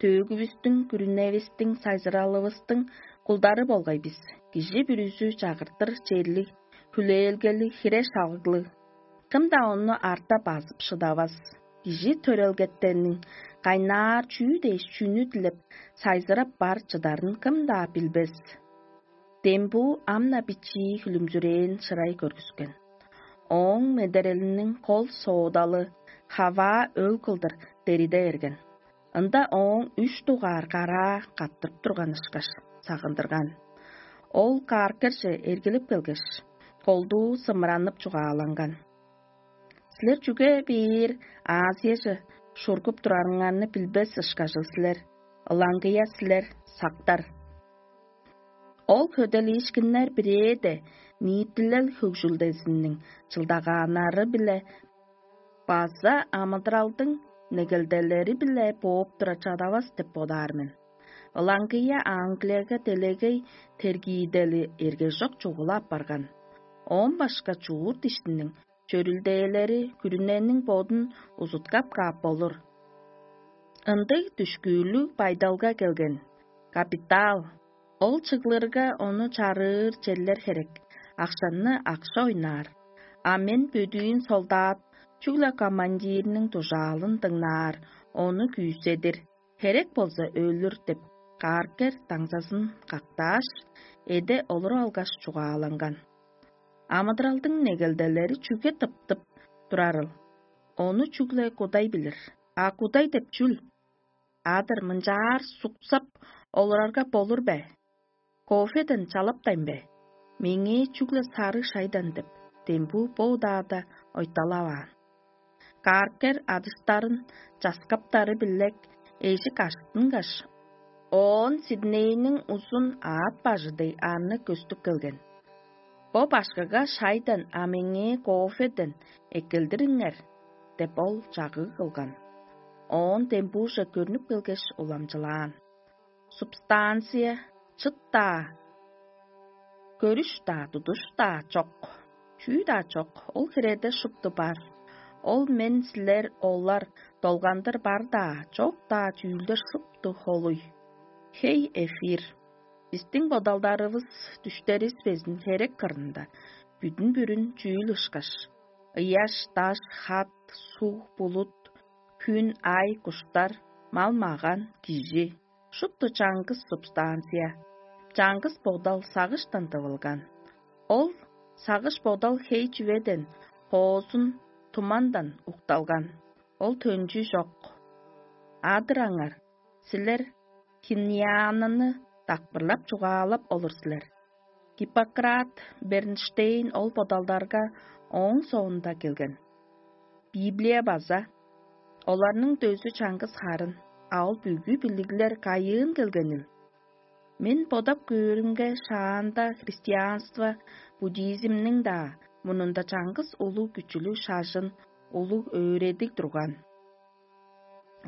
төөгүвүстүң, күрүневистиң, сайзыралывыстың кулдары болгай бис. Кижи бүрүзү чагыртыр черлиг, хүлээлгелиг, хире-шалыглыг. Кым-даа ону арта базып шыдавас. Кижи төрелгеттерниң кайнаар чүү дээш чүнү дилеп, сайзырап бар чыдарын кым-даа билбес». Дембуу ам-на бичии хүлүмзүрээн шырай көргүскен. Ооң медерелиниң кол соодалы хаваа өг кылдыр дериде берген. Ында ооң үш дугаар караа каттырып турган ышкаш сагындырган. Ол кааркерже эргилип келгеш, колдуу сымыранып чугааланган: «Силер чүге бээр Азияже шургуп турарыңарны билбес ышкажыл силер, ылаңгыя силер, сактар». Ол хөделиишкиннер бирээде ниитилел хөгжүлдезиниң чылдагааннары-биле база амыдыралдың негелделери-биле бооп тура чадавас деп бодаар мен. Ылаңгыя Англияга делегей тергиидели эргежок чугула апарган. Оон башка чуурт иштиниң чөрүлдээлери күрүнениң бодун узуткап каап болур. Ындыг дүшкүүрлүг байдалга келген. Капитал. Ол чыглырга ону чарыыр черлер херек, акшаны акша ойнаар. А мен бөдүүн солдат, чүгле командирниң дужаалын дыңнаар, ону күүседир, херек болза өлүр деп, кааркер даңзазын кактааш, эде олуруп алгаш чугааланган. Амыдыралдың негелделери чүге тыптып турарыл? Ону чүгле Кудай билир. А Кудай деп чүл? Адыр мынчаар суксап олурарга болур бе? Кофеден чалаптайн бе? Меңээ чүгле сарыг шайдан деп, дембүү бо удаада ойталаваан. Каркер адыштарын часкаптары билек эжик аштынгаш, оон Сиднейниң узун аът бажы дег арны көстүп келген. «Бо башкыга шайдан, а меңээ кофеден эккелдириңер» — деп, ол чагыг кылган. Оон дембууже көрнүп келгеш, уламчылаан: «Субстанция, чыт-даа, көрүш-даа, тудуш-даа чок, чүү-даа чок, ол хиреде шупту бар. Ол мен, силер, олар, долгандыр бар-даа, чок-даа чүүлдер шупту холуй. Хей, эфир, бистиң бодалдарывыс, дүштеривис безин херек кырында бүдүн-бүрүн чүүл ышкаш: ыяш, даш, хат, суг, булут, хүн, ай, куштар, мал-маган, кижи, шупту чаңгыс субстанция, чаңгыс бодал сагыштан тывылган. Ол сагыш-бодал хей чүведен, хоозун, тумандан укталган. Ол төнчү чок. А-дыр аңар, силер хиньяананы дакпырлап чугаалап олур силер. Гиппократ, Бернштейн ол бодалдарга ооң соонда келген. Библия база: оларның дөзү чаңгыс харын, а ол бүгү билиглер кайыын келгенил? Мен бодап көөрүмге, шаанда христианство, буддизмниң-даа мурнунда чаңгыс улуг күчүлүг шажын, улуг өөредиг турган.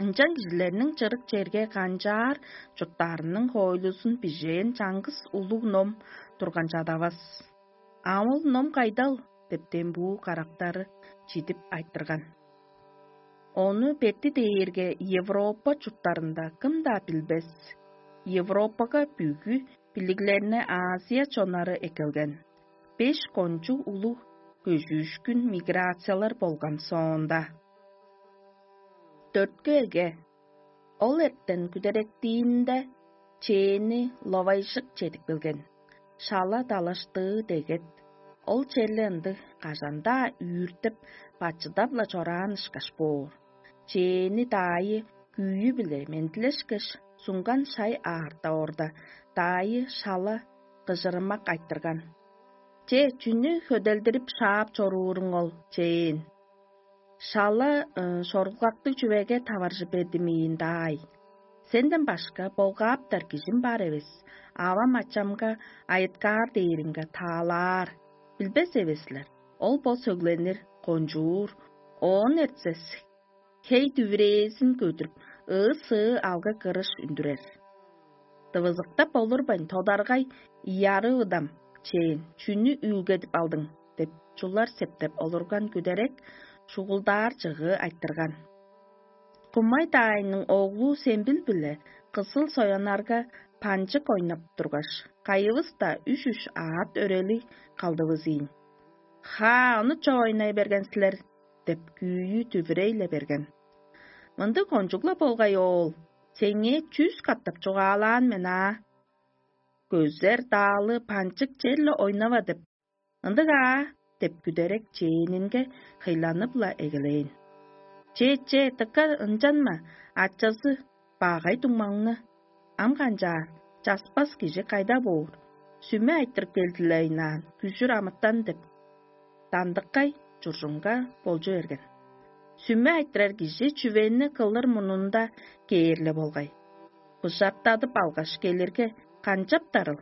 Ынчан кижилерниң чырык черге канчаар чурттаарының хоойлузун бижээн чаңгыс улуг ном турган чадавас. А ол ном кайдал?» — деп, дембуу карактары чидип айтырган. Ону бетти дээрге Европа чурттарында кым-даа билбес. Европага бүгү билиглерни Азия чоннары эккелген. Беш кончуг улуг көжүүшкүн миграциялар болган соонда. Дөрткү эге. Ол эртен күдеректиинде чээни ловайжык чедип келген. Шала далаштыы дегет. Ол черле ындыг кажан-даа үүртеп, бачыдап-ла чораан ышкаш боор. Чээни даайы күүю-биле мендилешкеш, сунган шай аарта орда, даайы шала кыжырымак айтырган: «Че, чүнү хөделдирип шаап чорууруң ол, чээн? Шала шорулгактыг чүвеге таваржы бердимиин даай. Сенден башка болгааптар кижим бар эвес, авам-ачамга айыткаар дээриңге таалаар. Билбес эвес силер, ол бо сөглениир, кончуур, оон эртсе хей дүвүрээзин көдүрүп, ыы-сыы алгы-кырыш үндүрер. Дывызыктап олурбайн, тодаргай: „Ияры-ыдам, чээн, чүнү үүлгедип алдың?“ – деп, чулар септеп олурган күдерек шугулдаар чыгыы айтырган: „Кумай-даайның оглу Сембил-биле кызыл соянарга панчык ойнап тургаш, кайывыс-даа үш-үш аът өрелиг калдывыс ийин. „Хаа, ону чоо ойнай берген силер“ – деп, күүйү дүвүрей-ле берген. „Мындыг кончуг-ла болгай, оол, сеңээ чүс катап чугаалаан мен аа. „Көзер даалы панчык черле ойнава“ – деп. Ындыг аа“ – деп, күдерек чээнинге хыйланып-ла эгелээн. „Че, че, дыка ынчанма, ачазы багай дуңмаңны. Ам канчаар, часпас кижи кайда боор? Сүме айтырып келди-ле ыйнаан, күжүр амытан“ – деп, Дамдыккай чуржунга болчу берген. Сүме айтырар кижи чүвени кылыр мурнунда кээр-ле болгай. Быжаттадып алгаш келирге, канчаптарыл?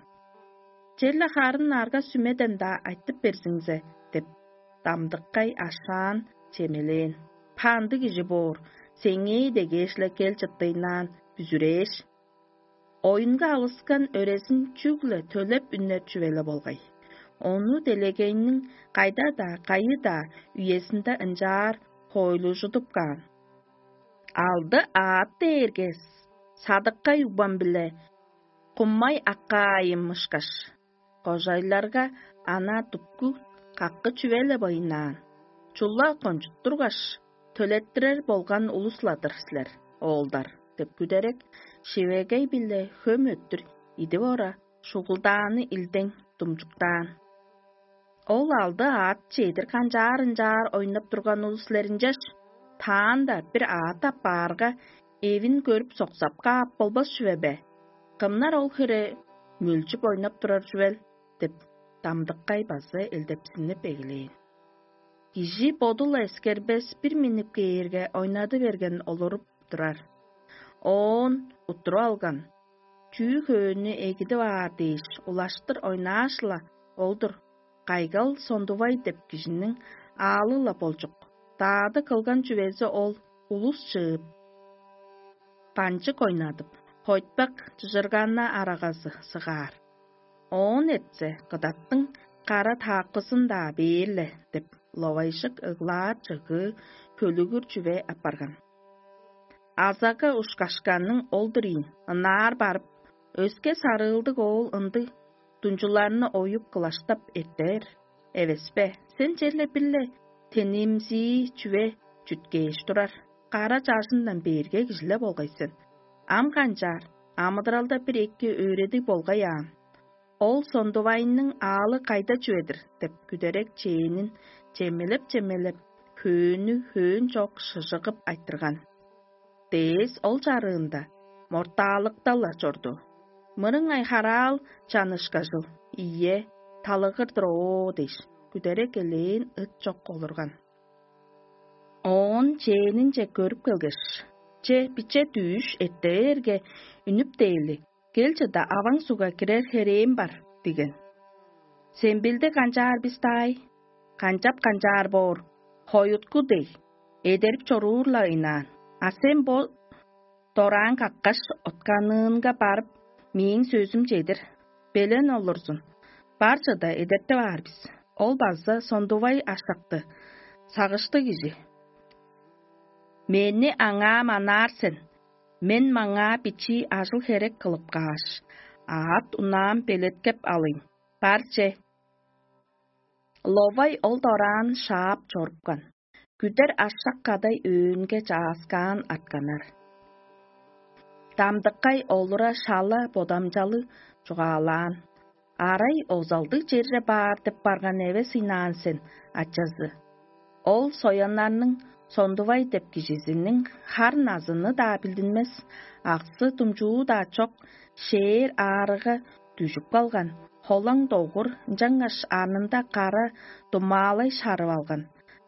„Черле харын арга-сүмеден-даа айтып берзиңзе“ – деп, Дамдыккай ашаан чемелээн. „Пандыг кижи боор, сеңээ дегеш-ле кел чыттыйнаан бүзүрээш“. Оюнга алыскан өрезин чүгле төлеп үннер чүве-ле болгай. Ону делегейниң кайда-даа, кайы-даа үезинде ынчаар хоойлужудуп каан. Алды аът дээрге садыккай угбам-биле кумай аккаайым ышкаш, кожайларга ана дупку каккы чүве-ле байынаан. Чула кончуттургаш, төлеттирер болган улус-ла-дыр силер, оолдар“ – деп, күдерек шивегей-биле хөм өттүр идип ора, шугулдааны илдең думчуктаан. Ол алды аът чедир канчаар-ынчаар ойнап турган улус силер ынчаш, таанда бир аът апаарга, эвин көрүп соксап каап болбас чүве бе? Кымнар ол хире мөлчүп ойнап турар чүвел? – деп, Дамдыккай база элдепсинип эгелээн. Кижи боду-ла эскербес бир миннип кээрге, ойнады берген олуруп турар. Оон уттуруп алган, чүү хөөннү эгидип аар дээш, улаштыр ойнааш-ла ол-дур. Кайгал Сондувай деп кижиниң аалы-ла болчук. Даады кылган чүвези ол улус чыып, банчык ойнадып, хойтпак чыжырганна арагазы сыгаар. Оон этсе, кыдаттың кара таакпызын-даа бээр-ле деп, ловайжык ыглаар чыгыы көлүгүр чүве апарган. Азага ушкашканның ол-дур ийин, ынаар барып, өске сарыылдыг оол ындыг дунчуларны оюп кылаштап эртээр. Эвеспе, сен черле бир-ле тенимзии чүве чүткээш турар, кара чажындан бээрге кижиле болгай сен. Ам канчаар, амыдыралда бир эки өөредиг болгай аан. Ол Сондувайның аалы кайда чүве-дир деп, күдерек чээнин чемелеп-чемелеп, хөөнү хөөн чок шыжыгып айтырган. Дээс ол чарыында мортаалыкта-ла чорду. Мырыңай хараал чанышкажыл, ийе, талыгыр-дыр оо дээш, күдерек элээн ыт чок олурган. Оон чээнинче көрүп келгеш: «Че, биче дүүш эртээрге үнүп дээли, кел чыда аваң сугга кирер херээм бар» – диген. «Сен билди канчаар бис даай? Канчап канчаар боор, хоюткул дег, эдерип чоруур-ла ыйнаан. А сен бо дораан каккаш, отканыынга барып, мээң сөзүм чедир, белен олурзун. Бар чыда эдертип аар бис. Ол база Сондувай ашакты, сагыштыг кижи. Мени аңаа манаар сен, мен маңаа бичии ажыл-херек кылып кааш, аът-унаам белеткеп алыйн. Бар че». Ловай ол дораан шаап чорупкан. Күдер ашак кадай өөнге чааскаан артканнар. Дамдыккай олура шала бодамчалыг чугаалаан: «Арай озалдыг черже баар деп барган эвес ыйнаан сен, ачазы». Ол сояннарның Сондувай деп кижизиниң хар назыны-даа билдинмес, аксы-думчуу-даа чок, шээр аарыга дүжүп калган, холаң догур, ынчангаш арнында кара думаалай шарып алган,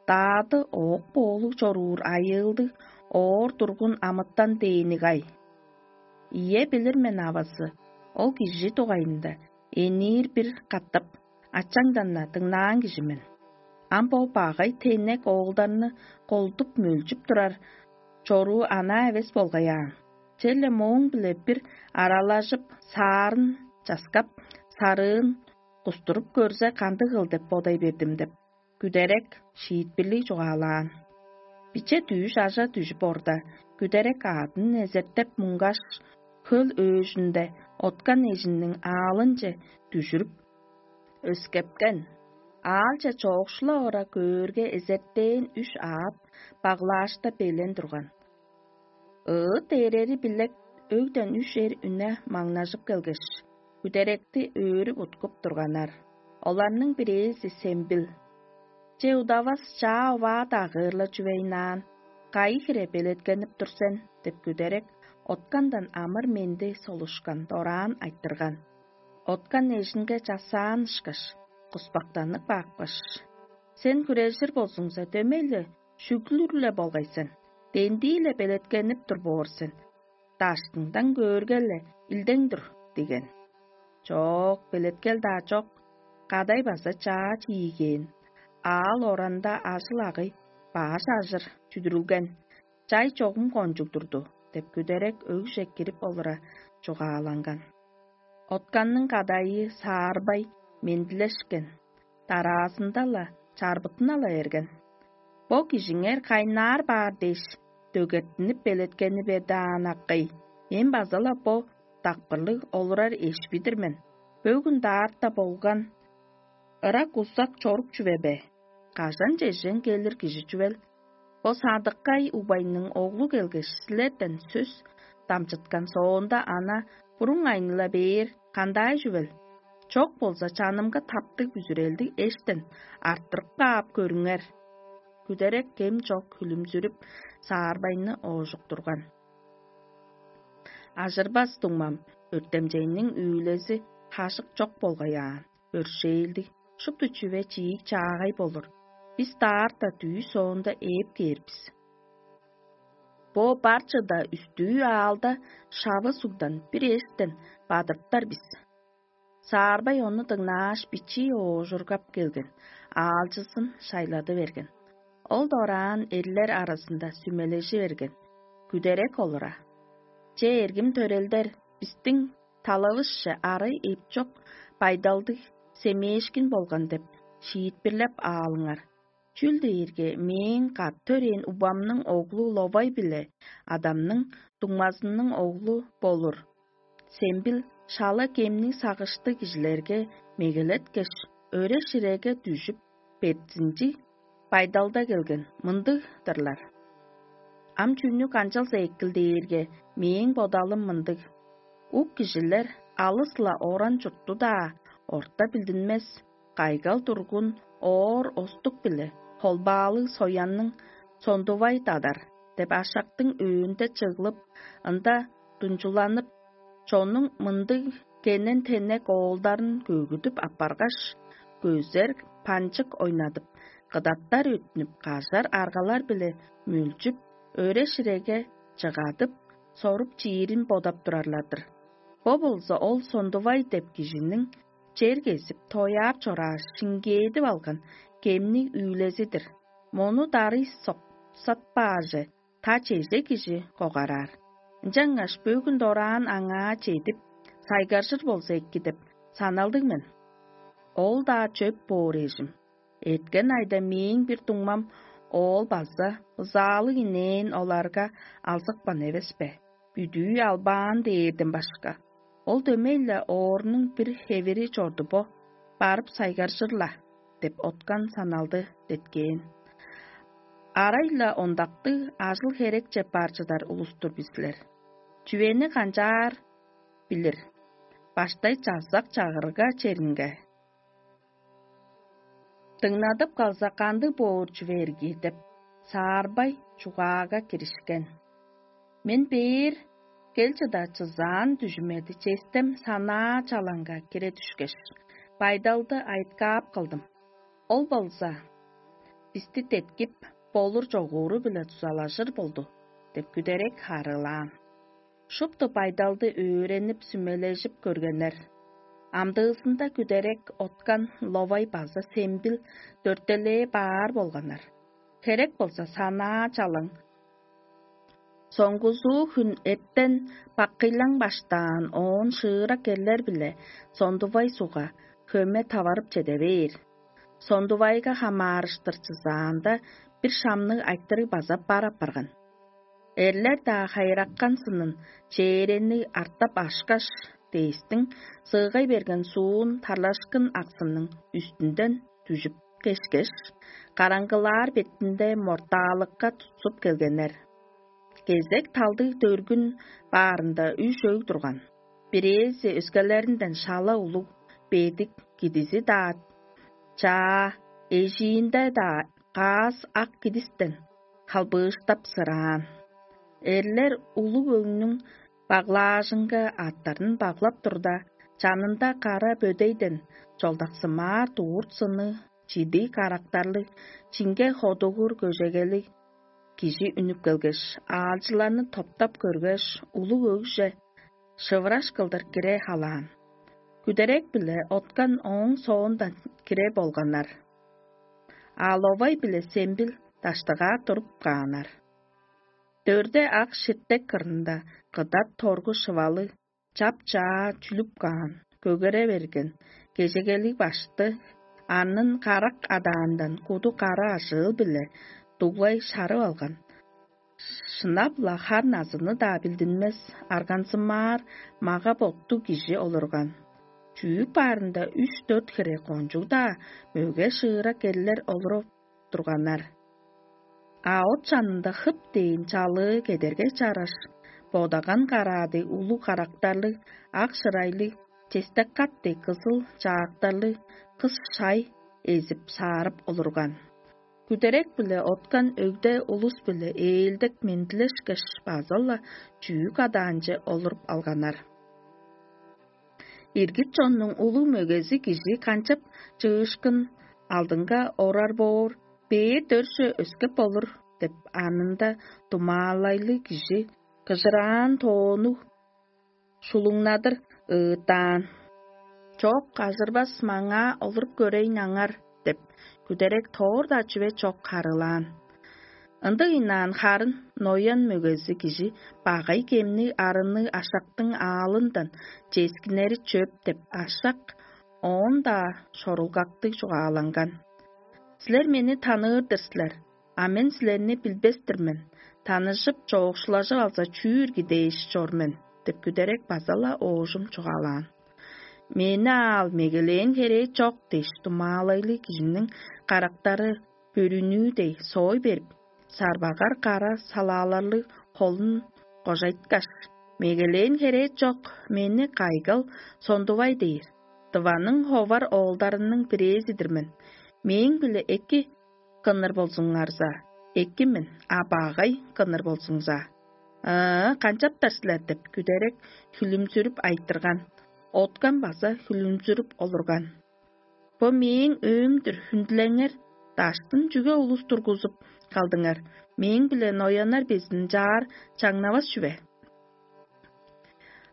даады оок-боолуг чоруур айыылдыг оор тургун амытан дээни-гай. Ийе, билир мен, авазы, ол кижи дугайында, эниир бир катап ачаңдан-на дыңнаан кижи мен. Ам бо багай теннек оолдарны колдуп-мөлчүп турар чоруу анаа эвес болгай аан. Черле мооң-биле бир аралажып, саарын часкап, сарыын кустуруп көрзе, кандыгыл деп бодай бердим деп, күдерек шиитпирлиг чугаалаан. Биче дүүш ажа дүжүп орда, күдерек аъдын эзертеп муңгаш, хөл өөжүнде откан эжинниң аалынче дүжүрүп, өскепкен. Аалче чоокшула ора көөрге, эзертээн үш аът баглаашта белен турган. Ыыт ээрери билек өгден үш эр үне маңнажып келгеш, күдеректи өөрүп уткуп турганнар. Оларның бирээзи Сембил: «Че, удавас чаа оваа-даа кыырла чүвейнаан, кайы хире белеткенип тур сен?» – деп, күдерек откандан амыр-менди солушкан дораан айтырган. Откан эжинге часаан ышкаш, куспактанып каапкаш: «Сен хүрежир болзуңза, дөмей-ле шүглүр-ле болгай сен, дендии-ле белеткенип тур боор сен, даштыңдан көөрге-ле илдең-дур» – диген. Чок, белеткел-даа чок, кадай база чаа чиигээн, аал оранда ажыл-агый баш ажыр чүдүрүлген, чай чогум кончуг турду деп, күдерек өгже кирип олура чугааланган. Отканның кадайы саарбай мендилешкен, дараазында-ла чарбыттына-ла эрген: «Бо кижиңер кайнаар баар дээш, дөгеттинип белеткени бе даан, акый? Мен база-ла бо дакпырлыг олурар эшпи-дир мен. Бөгүн даарта болган ырак-узак чорук чүве бе? Кажан чежен келир кижи чүвел? Бо садыккай убайның оглу келгеш, силерден сөс дамчыткан соонда, ана буруң айныла бээр кандай чүвел? Чок болза, чанымга таптыг бүзүрелдиг эштен арттырып каап көрүңер». Күдерек кем чок хүлүмзүрүп, саарбайны оожуктурган. Ажырбас дуңмам, өртемчейниң үүлези хажык чок болгай аан, өршээлдиг, шупту чүве чиик-чаагай болур. бис даарта дүъш соонда ээп кээр бис. Бо бар чыда үстүү аалда шавы сугдан бир эштен бадырыптар бис. Саарбай ону дыңнааш, бичии оожургап келген, аалчызын шайлады берген. Ол дораан эрлер аразында сүмележи берген. Күдерек олура: «Че, эргим төрелдер, бистиң талавысче арай эпчок байдалдыг семээшкин болган деп шиитпирлеп аалыңар. Чүл дээрге мээң кат төрээн убамның оглу Ловай биле адамның дуңмазының оглу болур Сембил шала кемниг сагыштыг кижилерге мегелеткеш, өре-ширеге дүжүп, бертинчиг байдалда келген мындыг-дырлар. Ам чүнү канчалза экил дээрге, мээң бодалым мындыг: ук кижилер алыс-ла оран чуртту-даа, орта билдинмес, кайгал-тургун оор остук-биле холбаалыг соянның сондувай дадар деп ашактың өөнде чыглып, ында дунчуланып, чоннуң мындыг кенен-тенек оолдарын көгүдүп аппаргаш, көзер панчык ойнадып, кыдаттар өттүнүп, кажар аргалар-биле мөлчүп, өре-ширеге чыгадып, соруп чиирин бодап турарлар-дыр. Бо болза ол сондувай деп кижиниң чер кезип, тояап чорааш, шиңгээдип алган кемниг үүлези-дир. Мону дарый соксатпааже, та чеже кижи когараар. Ынчангаш бөгүн дораан аңаа чедип, сайгаржыр болза эки деп саналдыг мен. Ол-даа чөп боор эжим. Эрткен айда мээң бир дуңмам оол база ызаалыг инээн оларга алзыпкан эвес бе? Бүдүү албаан дээрден башка, ол дөмей-ле оорунуң бир хевири чорду бо, барып сайгаржыр-ла» деп откан саналды деткээн. Арай-ла ондактыг ажыл-херекче бар чыдар улус-тур бис силер. Чүвени канчаар билир? Баштай чазак чагырга черинге. Дыңнадып калза, кандыг боор чүве эрги деп, Саарбай чугаага киришкен. Мен бээр кел чыда чызаан дүжүмеди честем санаа чалаңга кире дүшкеш, байдалды айыткаап кылдым. Ол болза бисти деткип, болур чогууру-биле дузалажыр болду деп күдерек харыылаан. Шупту байдалды өөренип, сүмележип көргеннер. Амдыызында күдерек откан Ловай база Сембил дөртелээ баар болганнар. Херек болза санаа чалаң. Соңгузуу хүн эттен баккыйлаң баштаан оон шыырак эрлер-биле Сондувай сугга хөме таварып чеде бээр. Сондувайга хамаарыштыр чызаанда бир шамныг айтырыг база бар апарган. Эрлер-даа хайыраккан сынын чээрени артап ашкаш, дээстиң сыыгай берген суун тарлашкын аксының үстүнден дүжүп кешкеш, караңгылаар бетинде мортаалыкка тутсуп келгеннер. Кезек талдыг дөргүн баарында үш өг турган. Бирээзи өскелеринден шала улуг, бедик, кидизи-даа чаа, эжиинде-даа каас ак кидистен халбыыштап сыраан. Эрлер улуг өңнүң баглаажынга аъттарын баглап турда, чанында кара бөдейден чолдаксымаар дурт сыны, чидиг карактарлыг, чинге ходугур көжегелиг кижи үнүп келгеш, аалчыларны топтап көргеш, улуг өгже шывыраш кылдыр кире халаан. Күдерек-биле откан ооң соондан кире болганнар. А Ловай биле Сембил даштыгаа туруп кааннар. Дөрде ак ширтек кырында кыдат торгу шывалы чап-чаа чүлүп каан, көгере берген, кежегелиг башты, анын карак адаандан куду кара ажыыл-биле дуглай шарып алган. Шынап-ла хар назыны-даа билдинмес, аргансымаар мага-боттуг кижи олурган. Чүүк баарында үш-дөрт хире кончуг-даа мөге шыырак эрлер олуруп турганнар. А от чанында хып дээн чалыы кедерге чараш, бодаган караадыг улуг карактарлыг, ак шырайлыг, честек-кат дег кызыл чаактарлыг кыс шай эзип-саарып олурган. Күдерек-биле откан өгде улус-биле ээлдек мендилешкеш, база-ла чүүк адаанче олуруп алганнар. Иргит чоннуң улуг мөгези кижи канчап чыышкын алдынга орар боор, Бээр дөрже өскеп болур деп, анында думаалайлыг кижи кыжыраан тоонуг шулуңнадыр ыыттаан: «Чок, ажырбас, маңаа олуруп көрейн аңар» – деп, күдерек тоор-даа чүве чок харыылаан. Ындыг ыйнаан харын ноян мөгези кижи багай кемниг арынныг ашактың аалындан ческиннери чөп деп ашак оон-даа шорулгактыг чугааланган: «Силер мени таныыр-дыр силер, а мен силерни билбес-тир мен, таныжып, чоокшулажып алза, чүү ирги дээш чор мен» – деп күдерек база-ла оожум чугаалаан. «Мени аал мегелээн херээ чок» – дээш, думаалайлыг кижиниң карактары бөрүнүү дег соой берип, сарбагар кара салааларлыг холун кожайткаш: «Мегелээн херээ чок, мени кайгал сондувай дээр. Дываның ховар оолдарының бирээзи-дир мен. Мээң-биле эки кынныр болзуңарза, эки мен, а багай кынныр болзуңза, ыы, канчаптар силер?» – деп күдерек хүлүмзүрүп айтырган. Откан база хүлүмзүрүп олурган: «Бо мээң өөм-дүр, хүндүлеңер, даштын чүге улус тургузуп калдыңар? Мээң-биле нояннар безин чаар чаңнавас чүве?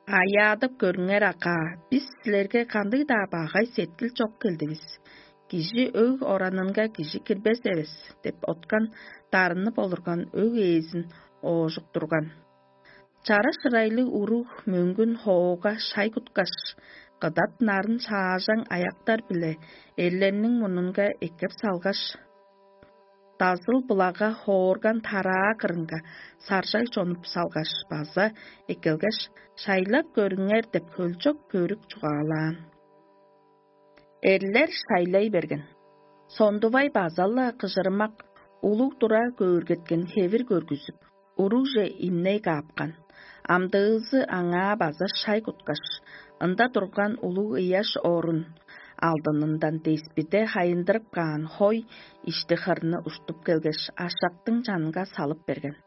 Аяадып көрүңер, акаа, бис силерге кандыг-даа багай сеткил чок келдивис. Кижи өг оранынга кижи кирбес эвес» – деп, откан дарынып олурган өг ээзин оожуктурган. Чара шырайлыг уруг мөңгүн хоога шай куткаш, кыдат нарын шаажаң аяктар-биле эрлерниң мурнунга эккеп салгаш, дазыл-булага хоорган тараа кырынга саржай чонуп салгаш база эккелгеш: «Шайлап көрүңер» – деп хөлчок көрүк чугаалаан. Эрлер шайлай берген. Сондувай база-ла кыжырымак улуг тура көөргеткен хевир көргүзүп, уругже имней каапкан. Амдыызы аңаа база шай куткаш, ында турган улуг ыяш орун алдынындан деспиде хайындырып каан хой ишти-хырны уштуп келгеш, ашактың чанынга салып берген.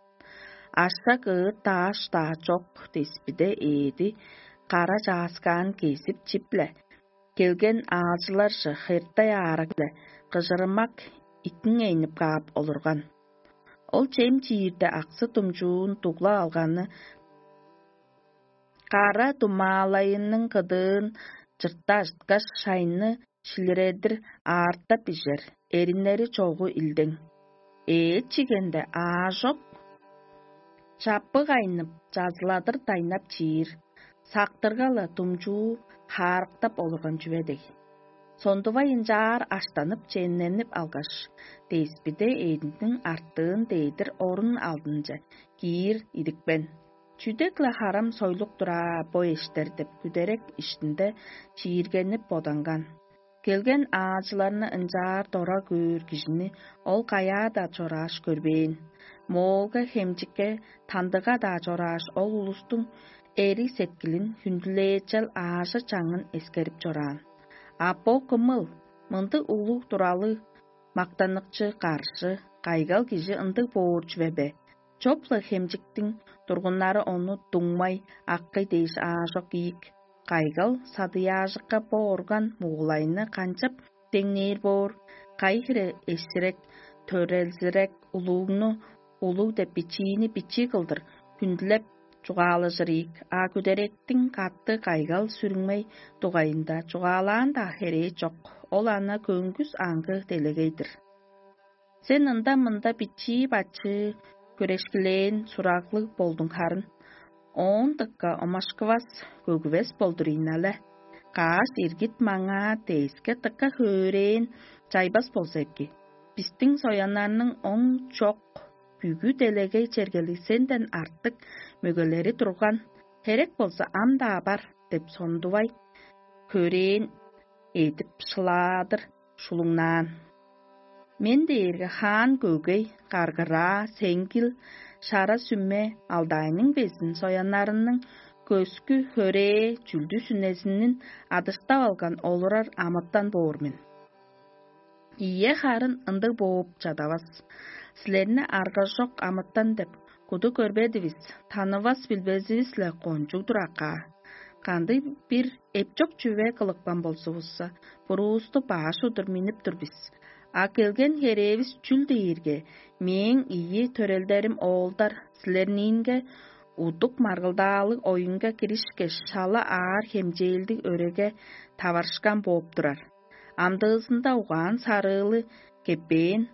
Ашак ыыт дааш-даа чок деспиде ээди кара чааскаан кезип чип-ле, келген аалчыларже хыртай аарак-биле кыжырымак иттиңейнип каап олурган. Ол чем чиирде аксы-думчуун дуглап алганы кара думаалайының кыдыын чыртта ажыткаш, шайны шилиредир аартап ижер, эриннери чогу илдең. Эът чигенде аажок чаппы кайнып, чазыладыр дайнап чиир, сактырга-ла думчуу хаарыктап олурган чүве дег. Сондувай ынчаар аштанып, чемненип алгаш, деспиде эъдиниң артыын дээдир орун алдынче киир идипкен. Чүдек-ле харам сойлук-тур аа бо эштер деп, күдерек иштинде чииргенип боданган. Келген аалчыларны ынчаар дора көөр кижини ол каяа-даа чорааш көрбээн. Моолга-хемчикке, тандыга-даа чорааш, ол улустуң эриг сеткилин, хүндүлээчел аажы-чаңын эскерип чораан. А бо кымыл? Мындыг улуг туралы мактаныкчы каржы, кайгал кижи ындыг боор чүве бе? Чоп-ла хемчиктиң тургуннары ону дуңмай, аккый дээш аажок ийик. Кайгал садыяажыкка бо орган мугулайны канчап деңнээр боор? Кайы хире эсирек, төрелзирек улугну улуг деп, бичиини бичии кылдыр хүндүлеп чугаалажыр ийик, а күдеректиң катты кайгал сүрүңмей дугайында чугаалаан-даа херээ чок, ол ана көңгүс аңгы делегей-дир. Сен ында-мында бичии-бачыы хүрешкилээн сураглыг болдуң харын. Оон дыка омашкывас, көгүвес болдур ийин але. Каш иргит маңаа дээске дыка хөөрэээн чайбас болза эки. Бистиң сояннарның оң чок, бүгү делегей чергелиг сенден артык мөгелери турган, херек болза ам-даа бар деп сондувай, хөрээн эдип шылаадыр шулуңнаан. Мен дээрге хаан көгей, каргыраа, сеңгил, шара сүме, алдайның безин сояннарының көскү хөрээ, чүлдү сүнезинин адыштап алган олурар амытан боор мен. Ийе, харын ындыг бооп чадавас. Силерни аргажок амытан деп куду көрбедивис, танывас билбезивис-ле кончуг-дур акаа. Кандыг бир эпчок чүве кылыпкан болзувусса, буруусту баш удур миннип тур бис. А келген херээвис чүл дээрге, мээң ийи төрелдерим оолдар силерниинге удук маргылдаалыг оюнга киришкеш, шала аар хемчээлдиг өреге таварышкан бооп турар. Амдыызында угаан сарыылы кеппээн,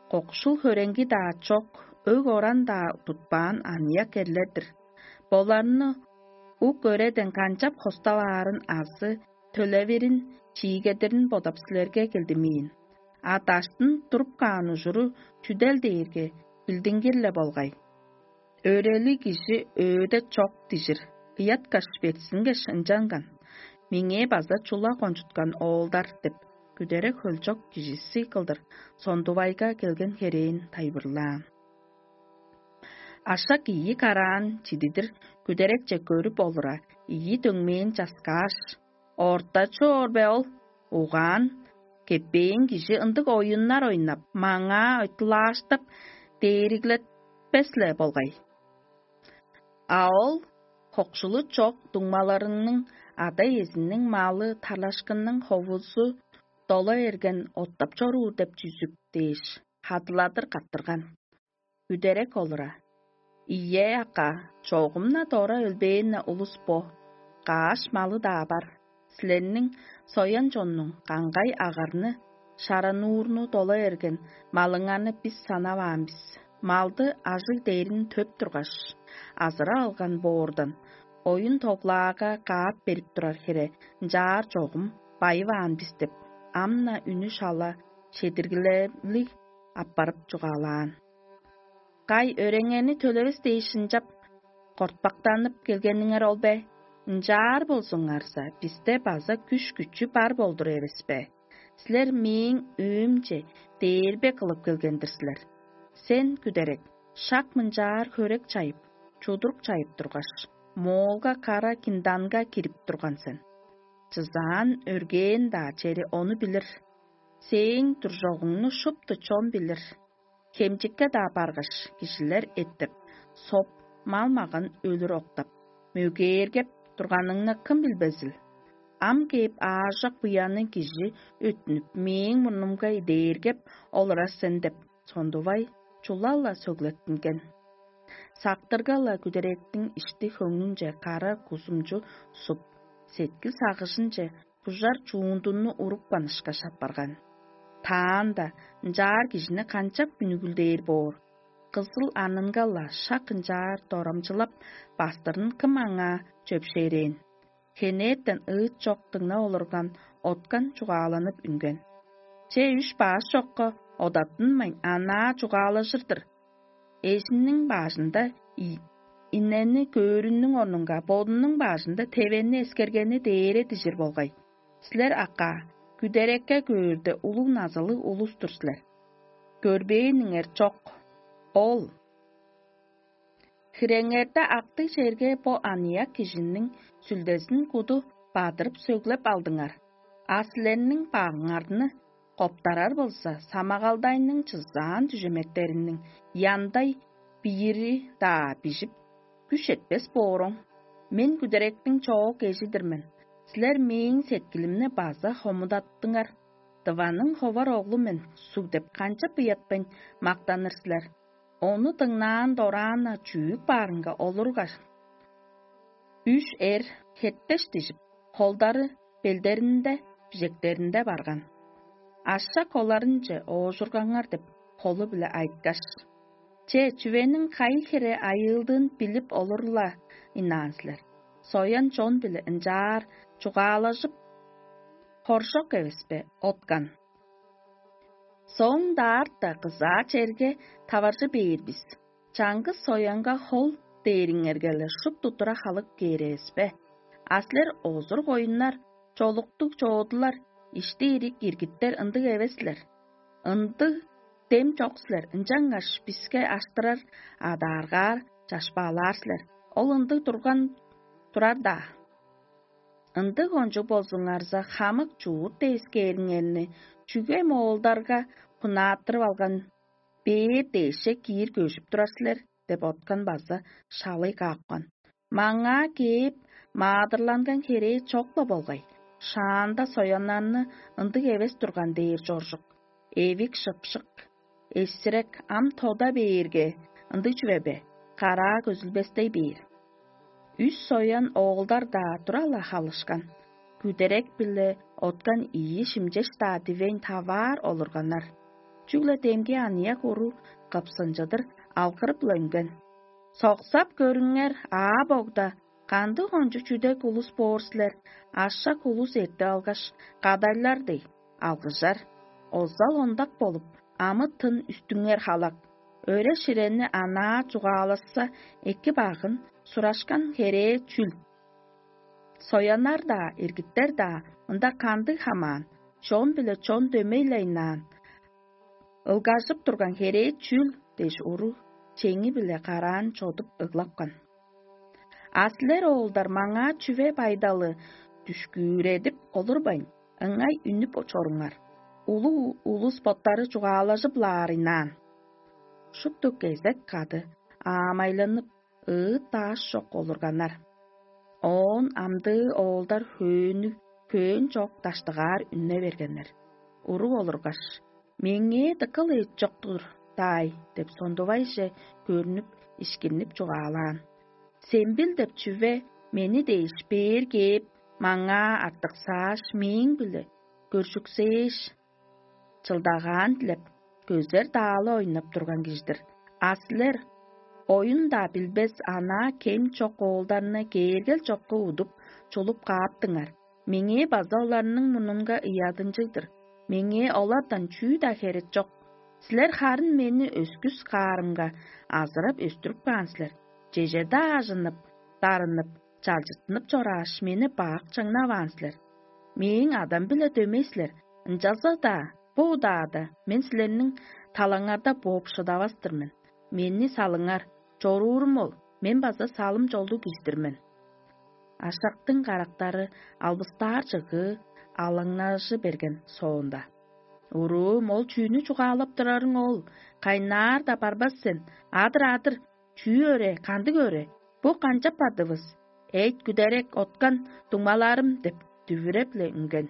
кокшул хөреңги-даа чок, өг-оран-даа тутпаан аныяк эрлер-дир. Боларны ук өреден канчап хосталаарын азы төлевирин, чиигедирин бодап силерге келдимээн. А даштын туруп каан ужуру чүдел дээрге билдингир-ле болгай. Өрели кижи өөде чок дижир, ыяткаш бетсингеш ынчанган. Меңээ база чула кончуткан оолдар деп, күдерек хөлчок кижиси кылдыр сондувайга келген херээн тайылбырлаан. Ашак ийи караан чидидир күдерекче көрүп олура, ийи дөңмээн часкааш: «Орта чоор бе ол? Угаан, кеппээн кижи ындыг оюннар ойнап, маңаа ойтулааштап, дээриглетпес-ле болгай». А ол хокшулу чок дуңмаларыңның ада-иезиниң малы, тарлашкынның ховузу дола эрген оттап чоруур деп чүзүк дээш, хадыладыр каттырган. Үдерек олура: «Ийе, акка, чогум-на дора өлбээн-не улус бо, каш малы-даа бар. Силерниң соян чоннуң каңгай агарны, шарануурну дола эрген малыңарны бис санаваан бис. Малды ажыг дээрин төп тургаш, азыра алган боордан, оюн тоглаага каап берип турар хире ынчаар чогум байываан бис» деп, ам-на үнү шала шедиргилелиг аппарып чугаалаан. «Кай, өреңерни төлевес дээш ынчап кортпактанып келгениңер ол бе? Ынчаар болзуңарза, бисте база күш-күчү бар болдур эвес бе? Силер мээң өөмче дээрбе кылып келген-дир силер. Сен, күдерек, шак мынчаар хөрек чайып, чудурук чайып тургаш, моолга кара кинданга кирип турган сен. Чызаан өргээн-даа чери ону билир. Сээң туржогуңну шупту чон билир. Хемчикке-даа баргаш, кижилер эттеп, соп, мал-маган өлүр октап, мөгээргеп турганыңны кым билбезил? Ам кээп, аажок буянныг кижи өттүнүп, мээң мурнумга идээргеп олурар сен» деп, сондувай чула-ла сөглеттинген. Сактырга-ла күдеректиң ишти-хөңнүнче кара кузумчу суп, сеткил-сагыжынче бужар чуундунну урупкан ышкаш апарган. Таанда ынчаар кижини канчап үнүгүлдээр боор? Кызыл анынга-ла шак ынчаар дорамчылап бастырын кым аңаа чөпшээрээн? Хенертен ыыт чок дыңнап олурган Откан чугааланып үнген: «Че үш баш чокка одаттынмайн, анаа чугаалажыр-дыр. Эжинниң бажында инени көөрүнүң орнунга бодунуң бажында тевенни эскергени дээре дижир болгай. Силер, акка, күдерекке көөрде улуг назылыг улус-тур силер. Көрбээниңер чок. Ол хиреңерде актыг черге бо аныяк кижиниң сүлдезин куду бадырып сөглеп алдыңар. А силерниң багыңарны коптарар болза, самагалдайның чызаан дүжеметтериниң яндай бийири-даа бижип, күш четпес бооруң. Мен күдеректиң чоок эжи-дир мен. Силер мээң сеткилимни база хомудаттыңар. Дываның ховар оглу мен суг деп канчап ыятпайн мактаныр силер? Ону дыңнаан дораан-на чүүп баарынга олургаш, үш эр хеттеш дижип, холдары белдеринде, бижектеринде барган. Ашак оларынче оожургаңар деп холу-биле айткаш: «Че, чүвениң кайы хире айыылдыын билип олур-ла ынаан силер. Соян чон-биле ынчаар чугаалажып хоржок эвес бе, Откан? Соң даарта кызаа черге таваржы бээр бис. Чаңгыс соянга хол дээриңерге-ле шупту тура халып кээр эвес бе? А силер озур-коюннар, чолуктуг чоодулар, ишти-ирик иргиттер ындыг эвес силер. Ындыг дем чок силер, ынчангаш биске аштырар, адааргаар, чашпаалаар силер. Ол ындыг турган турар-даа. Ындыг кончуг болзуңарза, хамык чуут девискээриңерни чүге моолдарга хунааттырып алган бээр дээшче киир көжүп турар силер?» — деп Откан база шалый каапкан. «Маңаа кээп, маадырланган херээ чок-ла болгай. Шаанда сояннарны ындыг эвес турган дээр чоржук. эвик шыпшык, эсирек ам тода бээрге, ындыг чүве бе, караа көзүлбестей бээр. Үс соян оолдар-даа тура-ла халышкан, күдерек-биле откан ийи шимчеш-даа дивейн таваар олурганнар. Чүгле демги аныяк уру кыпсынчыдыр алгырып-ла үнген: «Соксап көрүңер, аа-богда, кандыг кончуг чүдек улус боор силер, ашак улус эртип алгаш, кадайлар дег, алгыжар, озал-ондак болуп, амы-тын үстүңер халак, өре-ширени анаа чугаалашса, эки-багын сурашкан херээ чүл? Сояннар-даа, иргиттер-даа мында кандыг хамаан, чон-биле чон дөмей-ле ынаан, ылгажып турган херээ чүл?» – дээш, уру чеңи-биле караан чодуп ыглапкан. «А силер, оолдар, маңаа чүве байдалы дүшкүүредип олурбайн, ыңай үнүп чоруңар. Улуг улус боттары чугаалажып-ла аарыйнаан». Шупту кезек кады аамайланып, ыыт-даш чок олурганнар. Оон амдыы оолдар хөөннүг, хөөн чок даштыгаар үнне бергеннер. Уруг олургаш: «Меңээ дыка-ла эт чок-тур даай» – деп, сондувайже көрнүп, ишкиннип чугаалаан: «Сембил деп чүве мени дээш бээр кээп, маңаа артыксааш, мээң-биле көржүксээш, чылдагаан дилеп, көзер-даалы ойнап турган кижи-дир. А силер оюн-даа билбес, анаа кем чок оолдарны кээргел чокка удуп, чулуп кааптыңар. Меңээ база оларның мурнунга ыядынчыг-дыр. Меңээ олардан чүү-даа херек чок. Силер харын мени өскүс каарымга азырап өстүрүп каан силер. Чеже-даа ажынып, дарынып, чалчыттынып чорааш, мени бак чаңнаваан силер. Мээң Адам-биле дөмей силер, ынчалза-даа бо удаада мен силерниң талаңарда бооп шыдавас-тыр мен. Мени салыңар, чоруурум ол, мен база салым-чолдуг кижи-дир мен». Ашактың карактары албыстаар чыгыы алаңнажы берген соонда: «Уруум, ол чүүнү чугаалап турарың ол, кайнаар-даа барбас сен. Адыр-адыр, чүү өрээ, кандыг өрээ? Бо канчап бардывыс? Эйт, күдерек, откан дуңмаларым» – деп, дүвүреп-ле үнген.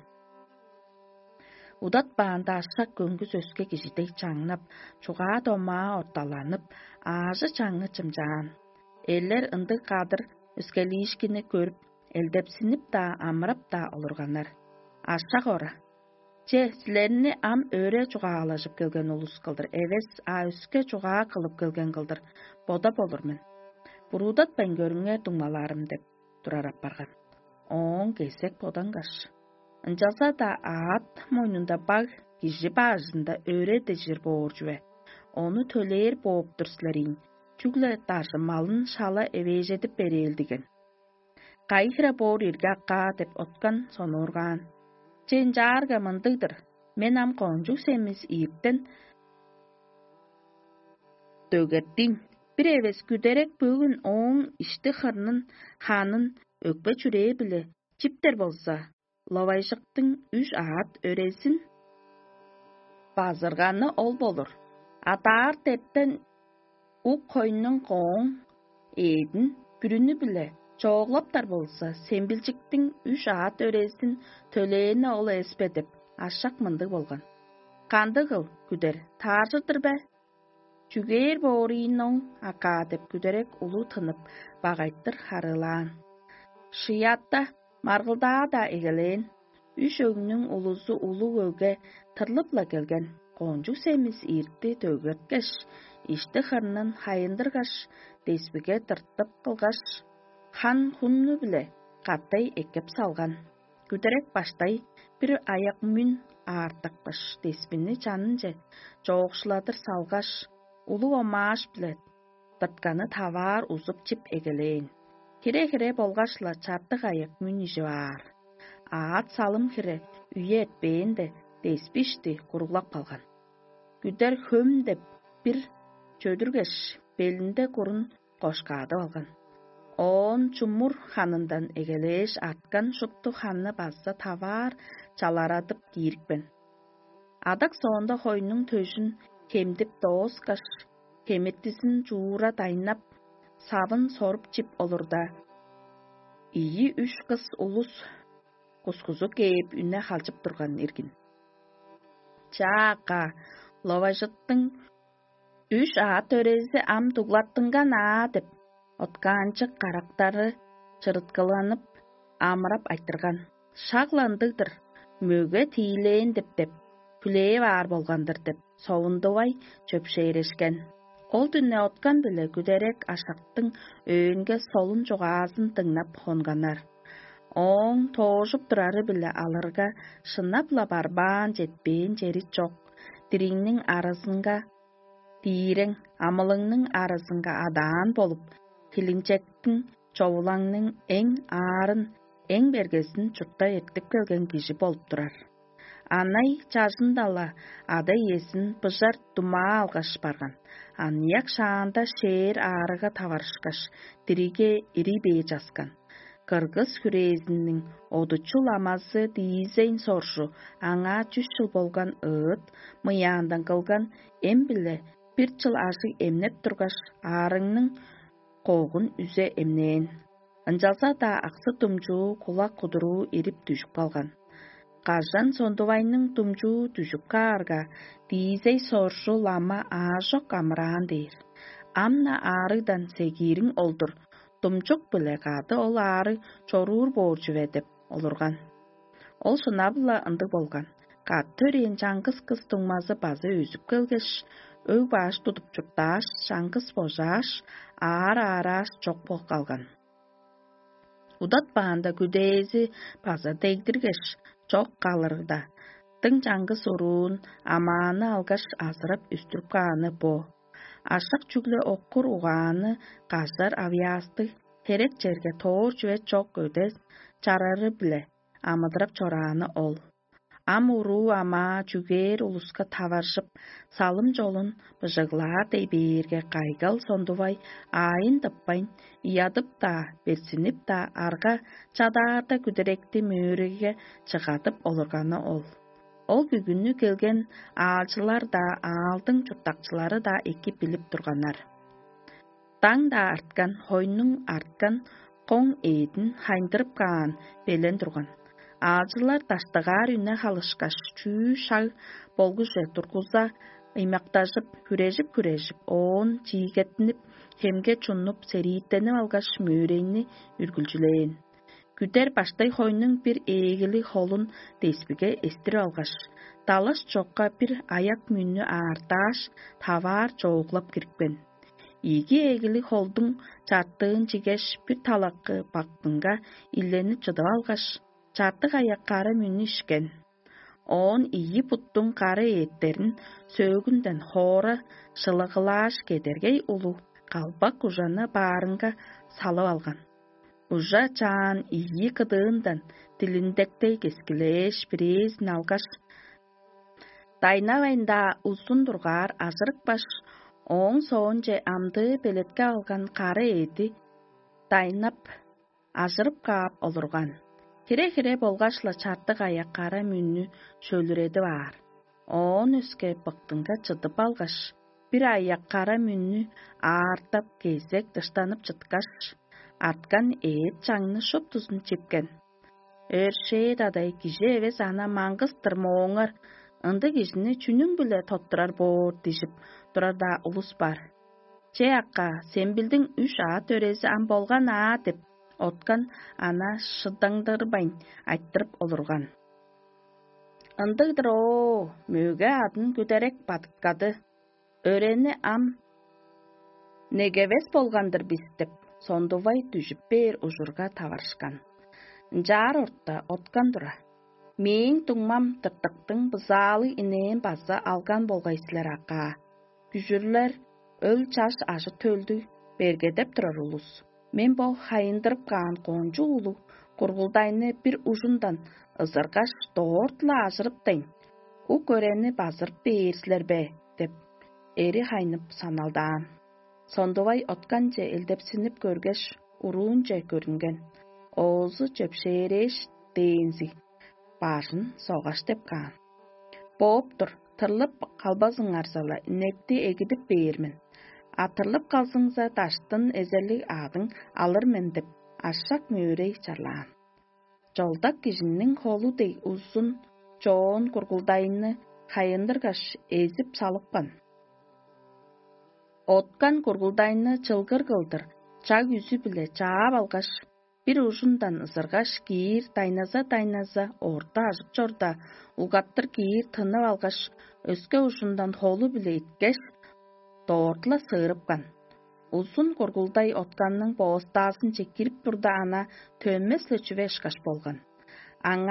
Удатпаанда, ашак көңгүс өске кижи дег чаңнап, чугаа-домаа орталанып, аажы-чаңы чымчаан. Эрлер ындыг кадыр өскелиишкинни көрүп, элдепсинип-даа, амырап-даа олурганнар. Ашак ора: «Че, силерни ам өре чугаалажып келген улус кылдыр эвес, а өске чугаа кылып келген кылдыр бодап олур мен. Буруудатпайн көрүңер, дуңмаларым» – деп турар апарган. Ооң кезек бодангаш: «Ынчалза-даа аът мойнунда баг, кижи бажында өре дижир боор чүве. Ону төлээр бооп тур силер ийин, чүгле даржымалын шала эвээжедип берээлдиген. Кайы хире боор ирги акаа?» – деп, откан сонуургаан. «Че, ынчаарга мындыг-дыр: мен ам кончуг семис ийиктен дөгертиин. Бир эвес күдерек бөгүн ооң ишти-хырнын, ханын өкпе-чүрээ-биле чиптер болза, ловайжыктың үш аът өрезин базырганы ол болур. Адаар дептен ук хойнуң кооң эъдин бүрүнү-биле чооглаптар болза, сембилчиктиң үш аът өрезин төлээни ол эвес бе?» – деп, ашак мындыг болган. «Кандыгыл, күдер, тааржыр-дыр бе?» «Чүгээр боор ийин оң акаа» – деп, күдерек улуу тынып, багайтыр харыылаан. Шыятта маргылдаа-даа эгелээн. Үш өгнүң улузу улуг өгге тырлып-ла келген. Кончуг семис ирти дөгерткеш, ишти-хырнын хайындыргаш, деспиге тыртып кылгаш, хан-хунну-биле катай эккеп салган. Күдерек баштай бир аяк-мүн аартыпкаш, деспини чанынче чоокшуладыр салгаш, улуг омааш-биле дыртканы таваар узуп чип эгелээн. Хире-хире болгаш-ла чартык аяк-мүн ижип аар. Аът салым хире үе эртпээнде, деспи ишти куруглап калган. Күдер хөм деп бир чөдүргеш, белинде курун кошкаадып алган. Оон чумур ханындан эгелээш арткан шупту ханны база таваар чаларадып киирипкен. Адак соонда хойнуң төжүн хемдип дооскаш, хемиртизин чуура дайнап, савын соруп чип олурда, ийи-үш кыс улус кускузу кээп, үне халчып турган иргин. Чаа, ака, ловажыттың үш аът өрези ам дуглаттынган аа деп, откаанчык карактары чырыткыланып, амырап айтырган: «Шак-ла ындыг-дыр, мөге тиилээн деп-деп, хүлээп аар болган-дыр» — деп, совундувай чөпшээрешкен. Ол дүне откан-биле күдерек ашактың өөнге солун чугаазын дыңнап хонганнар. Ооң тоожуп турары-биле алырга, шынап-ла барбаан четпээн чери чок, дириңниң аразынга диирең, амылыңның аразынга адаан болуп, хилинчектиң, човулаңның эң аарын, эң бергезин чуртта эртип келген кижи болуп турар. Анай чажында-ла ада-иезин быжар думаа алгаш барган, аныяк шаанда шээр аарыга таварышкаш, дириге ирий бээр часкан. Кыргыс хүрээзиниң одучул амазы Диизейн соржу аңаа чүс чыл болган ыыт мыяандан кылган эм-биле бир чыл ажыг эмнеп тургаш, аарыңның когун үзе эмнээн. Ынчалза-даа аксы думчуу кулак кудуруу ирип дүжүп калган. Кажан сондувайның думчуу дүжүп каарга, Диизей соржу лама аажок амыраан дээр. Ам-на аарыгдан сегиириң ол-дур, думчук-биле кады ол аарыг чоруур боор чүве деп олурган. Ол шынап-ла ындыг болган. Кады төрээн чаңгыс кыс дуңмазы база өзүп келгеш, өг-баш тудуп чурттааш, чаңгыс божааш, аар-аарааш чок болуп калган. Удатпаанда күдээзи база дегдиргеш, чок калырда, дың чаңгыс уруун амааны алгаш азырап үстүрүп кааны бо. Ашак чүгле оккур угааны кажар авыяастыг, херек черге тоор чүве чок өде чарары-биле амыдырап чорааны ол. Ам уруу амаа чүгээр улуска таваржып, салым чолун быжыглаар дей бээрге, кайгал сондувай аайын тыппайн, ыядып-даа, берзинип-даа, арга чадаарда күдеректи мөөрейге чыгадып олурганы ол. Ол бүгүнү келген аалчылар-даа, аалдың чурттакчылары-даа эки билип турганнар. Даң-даа арткан, хойнуң арткан, коң эъдин хайындырып каан белен турган. Аалчылар даштыгаар үне халышкаш, чүү шаг болгуже тургуза, ыймактажып, хүрежип-хүрежип, оон чиигеттинип, хемге чунуп, серииттенип алгаш, мөөрейни үргүлчүлээн. Күдер баштай хойнуң бир ээлиг холун деспиге эстирип алгаш, далаш чокка бир аяк мүннү аартааш, таваар чооглап кирипкен. Ийиги ээлиг холдуң чартыын чигеш, бир талакы бактынга иленип чыдып алгаш, чартык аяк кара мүннү ишкен. Оон ийи буттуң кара ээттерин сөөгүнден хоора шылыгылааш кедергей улуг калбак ужаны баарынга салып алган. Ужа чаан ийи кыдыындан дилиндектей кескилээш, бирээзин алгаш, дайнавайн-даа узун дургаар ажырыпкаш, ооң соонче амдыы белетке алган кара эъди дайнап, ажырып каап олурган. Хире-хире болгаш-ла чартык аяк кара мүннү шөлүредип аар. Оон өске быктынга чыдып алгаш, бир аяк кара мүннү аартап, кезек дыштанып чыткаш, арткан эът чаңны шуптузун чипкен. Өршээ-дадай кижи эвес ана маңгыс-тыр мооңар, ындыг кижини чүнүң-биле тоттурар боор дижип турар-даа улус бар. Че, акка, сен билдиң, үш аът өрези ам болган аа деп, откан ана шыдаңдырбайн айтырып олурган. Ындыг-дыр оо, мөге адын күдерек бадыткады. Өрени ам негевес болган-дыр бис деп, сондувай дүжүп бээр ужурга таварышкан. Ынчаар орта откан тура. Мээң дуңмам тыртыктың бызаалыг инээн база алган болгай силер, акаа. Күжүрлер өл чаш ажы-төлдүг бергедеп турар улус. Мен бо хайындырып каан кончуг улуг кургулдайны бир ужундан ызыргаш, дорт-ла ажырыптайн, ук өрени базырып бээр силер бе деп, эри хайнып саналдаан. Сондувай отканче элдепсинип көргеш, уруунче көрүнген. Оозу чөпшээрээш дээнзиг, бажын согаш деп каан. Бооп тур, тырлып калбазыңарза-ла, инекти эгидип бээр мен. А тырлып калзыңза, даштын эзерлиг аадың алыр мен деп, ашак мөөрей чарлаан. Чолдак кижиниң холу дег узун чоон кургулдайны кайындыргаш, эзип салыпкан. Откан кургулдайны чылгыр кылдыр, чаг үзү-биле чаап алгаш, бир ужундан ызыргаш, киир дайназа-дайназа орта ажып чорда, угаптыр киир тынып алгаш, өске ужундан холу-биле иткеш, доортула сыырыпкан. Узун кургулдай отканның боостаазынче кирип турда, ана төнмес-ле чүве ышкаш болган. Аңаа